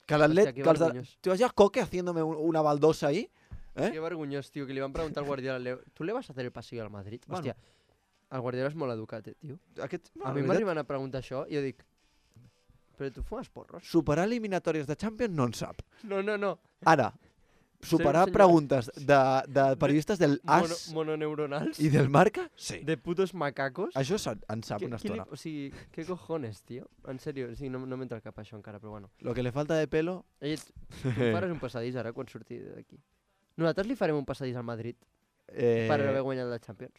Que l'atlet... Hòstia, que que els de... vergonyós. ¿Te vas a Coque haciéndome un- una baldosa ahí? ¿Eh? qué vergonyós, tio, que li van preguntar al Guardiola, "Le- ¿tú le vas a hacer el pasillo al Madrid? Bueno. Hòstia, el Guardiola és molt educat, eh, tio. Aquest... A mi m'arriben a preguntar això i jo dic, però tu fumes porros? Superar eliminatòries de Champions no en sap. No, no, no. Ara, superar senyor- preguntes de, de periodistes del Mono, AS mononeuronals i del Marca? Sí. de putos macacos. Això se'n- en sap Què- una qui li- estona. O sigui, què cojones, tio? En sèrio, o sigui, no, no m'entra al cap això encara, però bueno. Lo que le falta de pelo... Ell, tu em faràs un passadís ara quan surti d'aquí. Nosaltres li farem un passadís al Madrid Eh, per haver guanyat la Champions.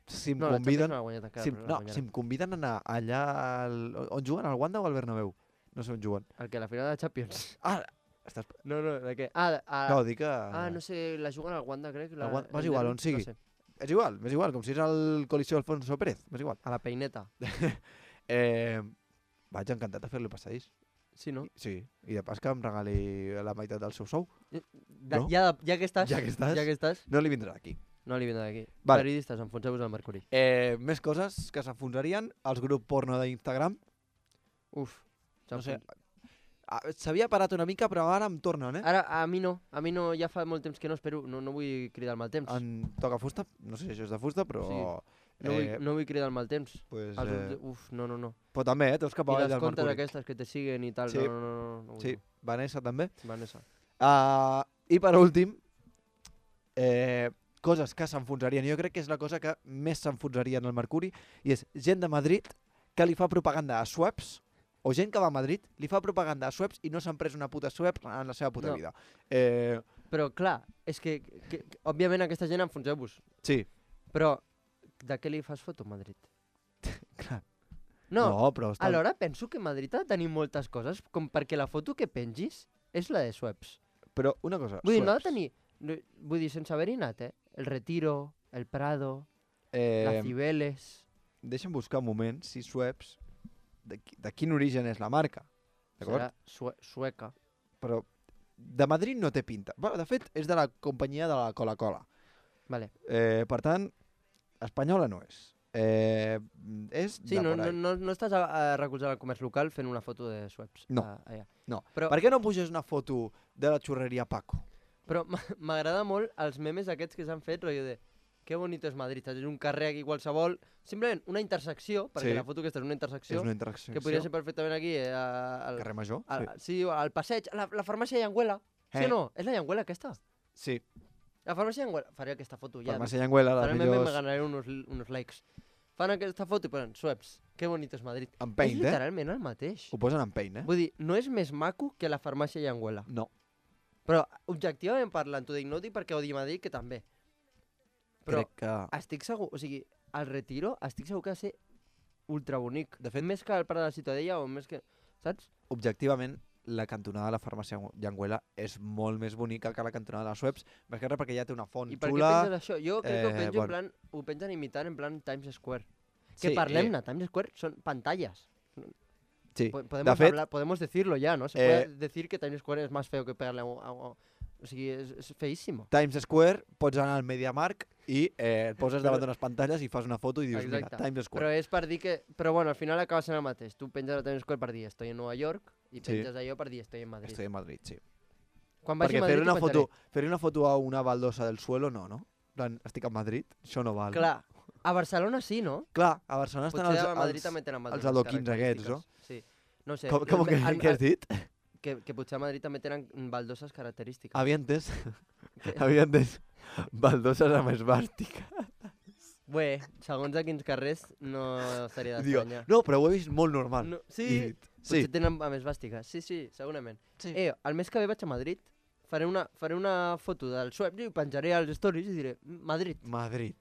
si em No, la conviden... Champions no l'ha guanyat encara, Si, em- però la no, guanyarà. si em conviden a anar allà... Al, on juguen? Al Wanda o al Bernabéu? No sé on juguen. El que, la final de la Champions? Ah, estàs... No, no, de què? Ah, de- ah, No, dic que... ah, no sé, la juguen al Wanda, crec. La, Al Wanda- el m'és igual, derbi, on sigui. No sé, És igual, m'és igual, com si és el Coliseu Alfonso Pérez, m'és igual. a la peineta. Eh, vaig encantat de fer-li passadís. Sí, no? Sí, i de pas que em regali la meitat del seu sou. Da, No? ja, ja que estàs, Ja que estàs. ja que estàs, No li vindrà d'aquí. no li vindrà d'aquí. Vale. Periodistes, enfonseu-vos al Mercuri. Eh, més coses que s'enfonsarien, els grups porno d'Instagram. Uf. No sé, ah, s'havia parat una mica, però ara em tornen, eh? Ara, a mi no. A mi no, ja fa molt temps que no espero, no, no vull cridar el mal temps. En toca fusta, no sé si això és de fusta, però... Sí. No, vull, eh, no vull cridar el mal temps. pues, Els eh, grups de- Uf, no, no, no. però també, eh? Teus cap I avall les del comptes Mercuri. aquestes que te siguen i tal. Sí. No, no, no, no, no vull. Sí, Vanessa també. Vanessa. Uh, I per últim, eh, coses que s'enfonsarien. Jo crec que és la cosa que més s'enfonsaria en el Mercuri, i és gent de Madrid que li fa propaganda a Schweppes, o gent que va a Madrid, li fa propaganda a Schweppes i no s'han pres una puta Schweppes en la seva puta No. vida. Eh, Però, clar, és que, que, que òbviament aquesta gent enfonseu-vos. sí, Però, de què li fas foto a Madrid? clar. No, no però està... alhora penso que Madrid ha de tenir moltes coses, com perquè la foto que pengis és la de Schweppes. Però una cosa, Vull dir, no ha de Schweppes, tenir... no- Vull dir, sense haver-hi anat, eh? El Retiro, el Prado, eh, la Cibeles... deixa'm buscar un moment si Schweppes, de, qui- de quin origen és la marca, d'acord? Serà sue sueca. Però de Madrid no té pinta. Bueno, de fet, és de la companyia de la Coca-Cola. Vale. Eh, per tant, espanyola no és. Eh, és Sí, de no, por no, ahí. no, no estàs a, a recolzar el comerç local fent una foto de Schweppes. No. a- allà. No. Però, Per què no puges una foto de la xurreria Paco? però m- m'agrada molt els memes aquests que s'han fet, rotllo de que bonito és Madrid, saps? És un carrer aquí qualsevol, simplement una intersecció, perquè Sí. la foto aquesta és una intersecció, És una interacció. que podria ser perfectament aquí, eh, al, Carrer Major? al, Sí. sí, al passeig, la, la farmàcia Llenguela. Sí Eh. o no? És la Llenguela aquesta? Sí. La farmàcia Llenguela. Faré aquesta foto ja. Farmàcia Llenguela, Faré les el meme i me millors... ganaré unos, unos likes. Fan aquesta foto i ponen Schweppes. Que bonito és Madrid. En És paint, eh? literalment el mateix. Ho posen en paint, eh? Vull dir, no és més maco que la farmàcia Llenguela. No. Però, objectivament parlant, t'ho dic, no ho dic perquè odi Madrid, que també. Però Crec que... estic segur, o sigui, el Retiro estic segur que ha de ser ultra bonic. De fet- més que el Prat de la Ciutadella o més que... Saps? Objectivament, la cantonada de la farmàcia Llenguela és molt més bonica que la cantonada de la Schweppes, més que res perquè ja té una font I per què xula... penses això? Jo crec que ho eh, penjo bueno. en plan... Ho pengen imitant en plan Times Square. Que Sí, parlem-ne, Times Square són pantalles. Sí, Po- Podemos, de fet, hablar, podemos decirlo ya, ¿no? Se eh, puede decir que Times Square es más feo que pegarle a un... a un- o sigui, és, és feíssimo. Times Square, pots anar al MediaMarkt i eh, et poses davant d'unes pantalles i fas una foto i dius, Exacte. mira, Times Però Square. és per dir que... Però bueno, al final acaba sent el mateix. Tu penges a Times Square per dir estoy en Nova York i Sí. penges allò per dir estoy en Madrid. Estoy en Madrid, sí. Quan vagi Perquè a Madrid fer una, ho penjaré. foto, fer una foto a una baldosa del suelo, no, no? En plan, estic a Madrid, això no val. Clar, a Barcelona sí, no? Clar, a Barcelona estan Potser els, a Madrid els, també tenen els baldoses adoquins aquests, no? característiques. Sí. No sé. Com, com que, en- què has dit? Que, que potser a Madrid també tenen baldoses característiques. Havia entès, Que- havia entès baldoses amb esbàstica. Bé, segons a quins carrers no estaria Digo, d'estranyar. no, però ho he vist molt normal. No, sí, I he dit, potser sí. tenen amb esbàstica. Sí, sí, segurament. Sí. Eh, el mes que ve vaig a Madrid, faré una, faré una foto del Schweppes i ho penjaré als stories i diré Madrid. Madrid.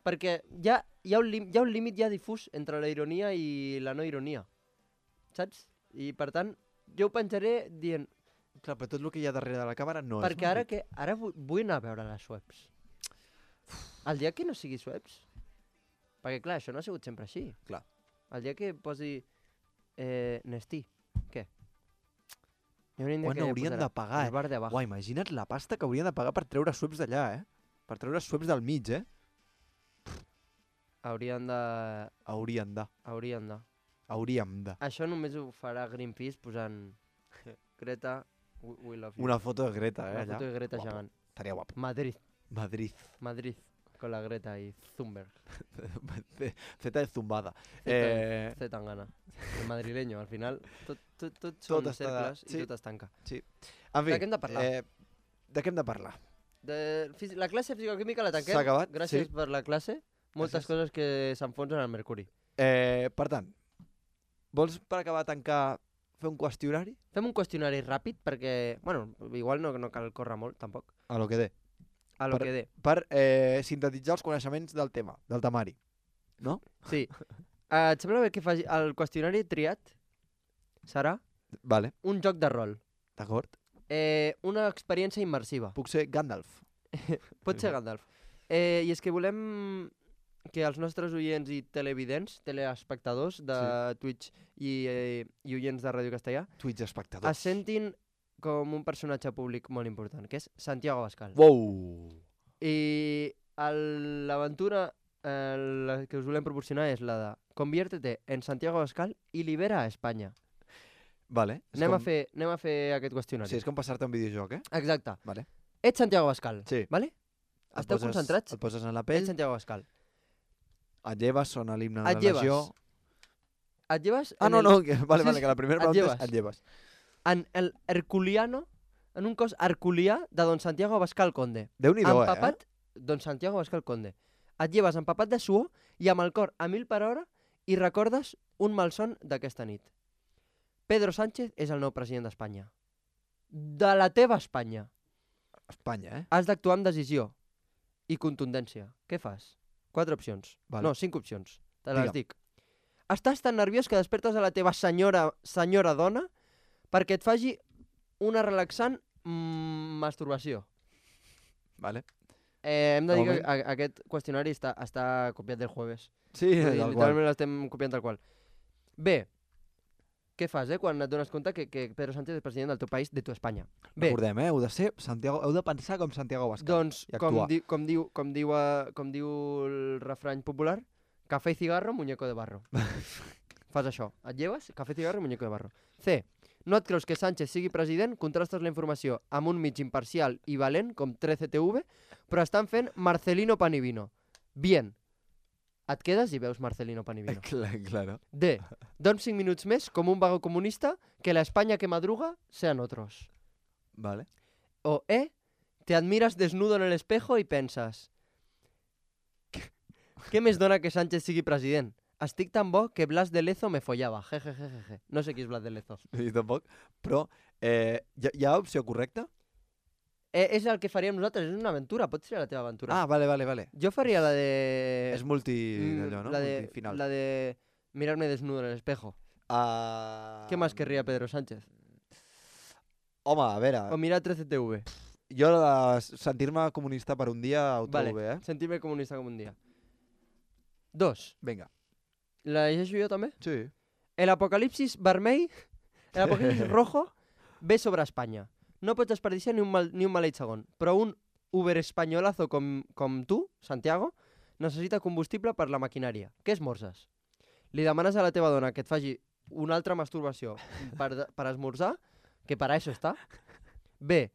Perquè hi ha, hi ha, un, lim, hi ha un límit ja difús entre la ironia i la no ironia. Saps? I per tant, jo ho penjaré dient... Clar, però tot el que hi ha darrere de la càmera no perquè és ara Madrid. que ara vull, vull anar a veure les Schweppes. El dia que no sigui Schweppes... Perquè clar, això no ha sigut sempre així. Clar. El dia que posi eh, Nestí, què? Hi ha un dia Quan que haurien posarà de pagar, el bar de abajo. Uai, imagina't la pasta que haurien de pagar per treure Schweppes d'allà, eh? Per treure Schweppes del mig, eh? Haurien de... Haurien de. Haurien de... Hauríem de. Això només ho farà Greenpeace posant Greta, we, we love you. Una foto de Greta, eh, Una allà. foto de Greta Guapo. gegant. Estaria guapo. Madrid, Madrid. Madrid, con la Greta i Thunberg. Feta de zumbada. Z, Eh, Z Tangana. El madrileño, al final, tot, tot, tot Tot són està- cercles sí. i tot es tanca. en fi, De què hem de parlar? Eh, de què hem de parlar? De, fisi- la classe de fisicoquímica la tanquem. S'ha acabat, Gràcies sí. per la classe. Moltes Gràcies. coses que s'enfonsen al mercuri. Eh, per tant, vols per acabar de tancar fer un qüestionari? Fem un qüestionari ràpid perquè, bueno, igual no, no cal córrer molt, tampoc. A lo que dé. A lo Per- que dé. Per eh, sintetitzar els coneixements del tema, del temari. No? Sí. Uh, et sembla bé que faci el qüestionari triat serà Vale, un joc de rol. d'acord. Eh, una experiència immersiva. Puc ser Gandalf. Pot ser Gandalf. Eh, I és que volem que els nostres oients i televidents, teleespectadors de sí. Twitch i, eh, i oients de Ràdio Castellà Twitch espectadors. es sentin com un personatge públic molt important, que és Santiago Abascal. Wow! I el- l'aventura eh, la que us volem proporcionar és la de conviértete en Santiago Abascal i libera a Espanya. Vale. és Anem, com... a fer, anem a fer aquest qüestionari. Sí, és com passar-te un videojoc, eh? Exacte. Vale. Ets Santiago Abascal, Sí. vale? Et Esteu poses- concentrats? Et poses en la Ets pell, Santiago Abascal. et lleves, sona l'himne de Et la lleves. nació... Et lleves Ah, en no, el- no, que, vale, Sí, vale, sí, que la primera et pregunta lleves. és et lleves. en el herculiano, en un cos herculià de Don Santiago Abascal Conde. Déu-n'hi-do, eh? Empapat, Don Santiago Abascal Conde. Et lleves empapat de suor i amb el cor a mil per hora i recordes un malson d'aquesta nit. Pedro Sánchez és el nou president d'Espanya. De la teva Espanya. Espanya, eh? Has d'actuar amb decisió i contundència. Què fas? Quatre opcions. Vale. No, cinc opcions. Te les Digue'm. dic. Estàs tan nerviós que despertes a la teva senyora, senyora dona perquè et faci una relaxant mm, masturbació. Vale. Eh, hem de De dir que moment- a- aquest qüestionari està, està copiat del jueves. Sí, Vull dir, tal qual. literalment l'estem copiant tal qual. Bé, què fas, eh, quan et dones compte que, que Pedro Sánchez és president del teu país, de tu Espanya? Bé, Recordem, eh? Heu de ser Santiago, heu de pensar com Santiago Abascal. doncs, i com, actuar. di, com, diu, com, diu, uh, com diu el refrany popular, café y cigarro, muñeco de barro. Fas això, et lleves, café, cigarro, muñeco de barro. C. No et creus que Sánchez sigui president, contrastes la informació amb un mig imparcial i valent, com trece T V, però estan fent Marcelino Pan y Vino. Bien. Et quedes i veus Marcelino Pan y Vino. Clar, claro. D. Don cinc minuts més com un vago comunista que la España que madruga sean otros. Vale. O E. Te admiras desnudo en el espejo y pensas què més dona que Sánchez sigui president? Estic tan bo que Blas de Lezo me follava. Jejejeje. No sé qui és Blas de Lezo. Jo tampoc. Però eh, hi, ha, hi ha opció correcta? Eh, és el que faríem nosaltres, és una aventura. Pot ser la teva aventura. Ah, vale, vale, vale. Jo faria la de... És multi... Mm, allò, no? La de, Multifinal. la de mirarme desnudo en el espejo. Uh... ¿Qué más querría Pedro Sánchez? Home, a veure, O mirar trece T V. jo de sentir-me comunista per un dia ho Vale, trobo bé, eh? sentirme comunista com un dia. Dos. Vinga. La llegeixo jo també? Sí. El apocalipsis vermell, el apocalipsis rojo, ve sobre Espanya. No pots desperdiciar ni un, mal, ni un maleït segon, però un Uber espanyolazo com, com tu, Santiago, necessita combustible per la maquinària. Què esmorzes? Li demanes a la teva dona que et faci una altra masturbació per, per esmorzar, que per a això està. B.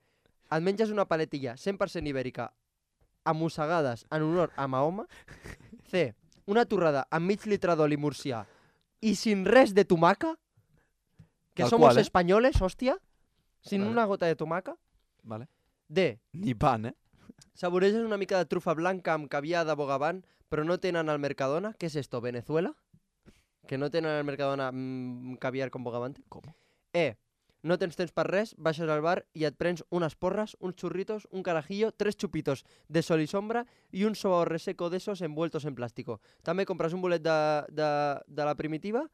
Et menges una paletilla cent per cent ibèrica amossegades en honor a Mahoma. C. Una torrada amb mig litre d'oli murcià i sin res de tomaca. Que Tal somos qual, eh? españoles, hòstia. Sin Vale. una gota de tomaca. Vale. D. Ni pan, eh? Saboreges una mica de trufa blanca amb caviar de Bogavant, però no tenen al Mercadona. ¿Qué es esto, Venezuela? Que no tenen al Mercadona mmm, caviar con Bogavante. Com? E. No tens temps per res, baixes al bar i et prens unes porres, uns churritos, un carajillo, tres chupitos de sol y sombra y un sobao reseco de esos envueltos en plástico. També compres un bolet de, de, de la primitiva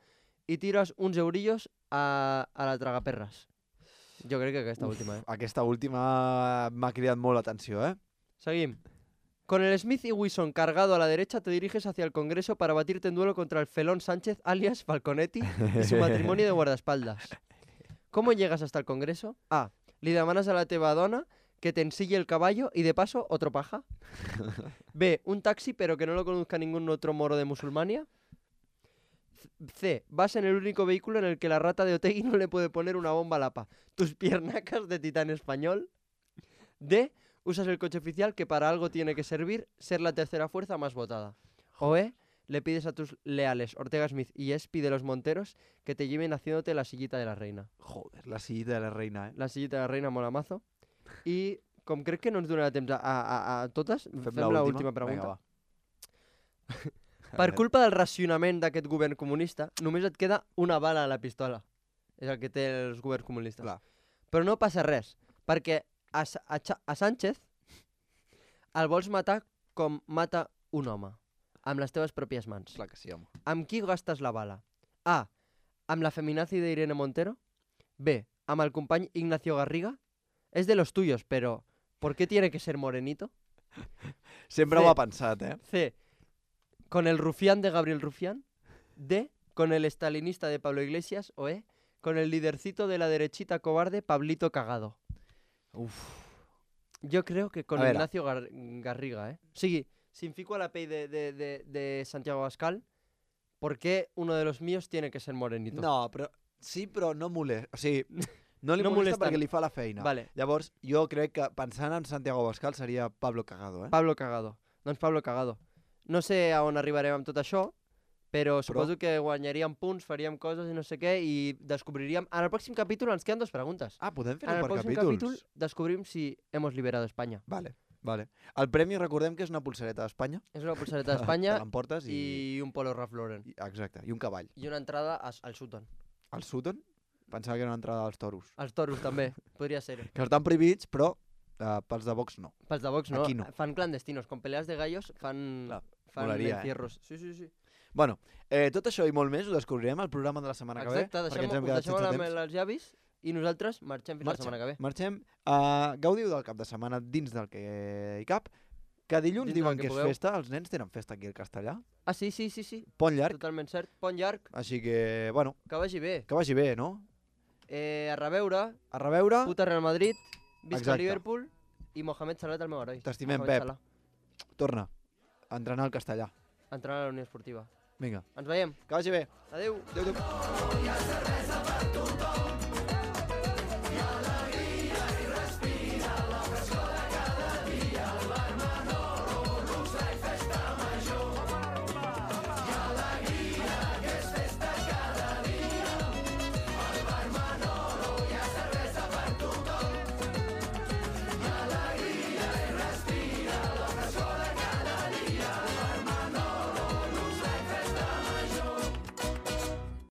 i tires uns eurillos a, a la tragaperres. Jo crec que aquesta Uf, última, eh? Aquesta última m'ha cridat molt l'atenció, eh? Seguim. Con el Smith y Wesson cargado a la derecha te diriges hacia el Congreso para batirte en duelo contra el felón Sánchez alias Falconetti y su matrimonio de guardaespaldas. ¿Cómo llegas hasta el Congreso? A. Li demanes a la teva dona que te ensille el caballo y de paso otro paja. B. Un taxi pero que no lo conozca ningún otro moro de Musulmania. C. Vas en el único vehículo en el que la rata de Otegi no le puede poner una bomba a Lapa. Tus piernacas de titán español. D. Usas el coche oficial que para algo tiene que servir, ser la tercera fuerza más votada. O E. Le pides a tus leales Ortega Smith y Espi de los Monteros que te lleven haciéndote la sillita de la reina. Joder, la sillita de la reina, eh? La sillita de la reina mola mazo. I com crec que no ens donarà temps a, a, a totes, fem, fem la última pregunta. Vinga, va. Per culpa del racionament d'aquest govern comunista, només et queda una bala a la pistola. És el que té els governs comunistes. Clar. Però no passa res, perquè a, a, a Sánchez el vols matar com mata un home, amb les teves pròpies mans. Clar que sí, home. Amb qui gastes la bala? A. Amb la feminazi de Irene Montero. B. Amb el company Ignacio Garriga. És de los tuyos, però ¿por qué tiene que ser morenito? Sempre C. ho ha pensat, eh? C. Con el rufián de Gabriel Rufián. D. Con el estalinista de Pablo Iglesias. O E. Con el lidercito de la derechita cobarde Pablito Cagado. Uf. Jo creo que con A veure. Ignacio Gar Garriga, eh? O sigui, si em fico a la pell de, de, de, de Santiago Abascal, ¿por qué uno de los míos tiene que ser morenito? No, però... Sí, però no molesta. O sigui, no li No molesta molesten. perquè li fa la feina. Vale. Llavors, jo crec que pensant en Santiago Abascal seria Pablo Cagado, eh? Pablo Cagado. Doncs Pablo Cagado. No sé a on arribarem amb tot això, però suposo que guanyaríem punts, faríem coses i no sé què, i descobriríem... En el pròxim capítol ens queden dues preguntes. Ah, podem En fer-ho el per pròxim capítols. capítol descobrim si hemos liberado España. Vale, vale. El premi, recordem que és una pulsareta d'Espanya. És una pulsareta d'Espanya Te l'emportes i... i un polo Ralph Lauren. i... Exacte, i un cavall. I una entrada a- al Sutton. El Sutton? Pensava que era una entrada als toros. Els toros també, podria ser. Que estan prohibits, però uh, pels de Vox no. Pels de Vox no, Aquí no. fan clandestinos, con peleas de gallos fan, Clar, fan molaria, eh? encierros. Sí, sí, sí. Bueno, eh, tot això i molt més ho descobrirem al programa de la setmana Exacte, que ve. deixem, ens hem us quedat deixem sense amb temps. els llavis i nosaltres marxem fins Marxem. la setmana que ve. Marxem. Uh, gaudiu del cap de setmana dins del que hi cap. Que dilluns Dintre diuen del que que és pugueu. festa, els nens tenen festa aquí al Castellà. Ah, sí, sí, sí, sí. Pont llarg, Totalment cert. Pont llarg, així que, bueno, que vagi bé. que vagi bé, no? Eh, a reveure, A reveure, puta Real Madrid, visca Exacte. Liverpool i Mohamed Salah, el meu heroi. T'estimem, Mohamed Pep. Salah, torna a entrenar al Castellà. entrenant a la Unió Esportiva. Vinga, Ens veiem. que vagi bé. Adéu. Adéu, adéu.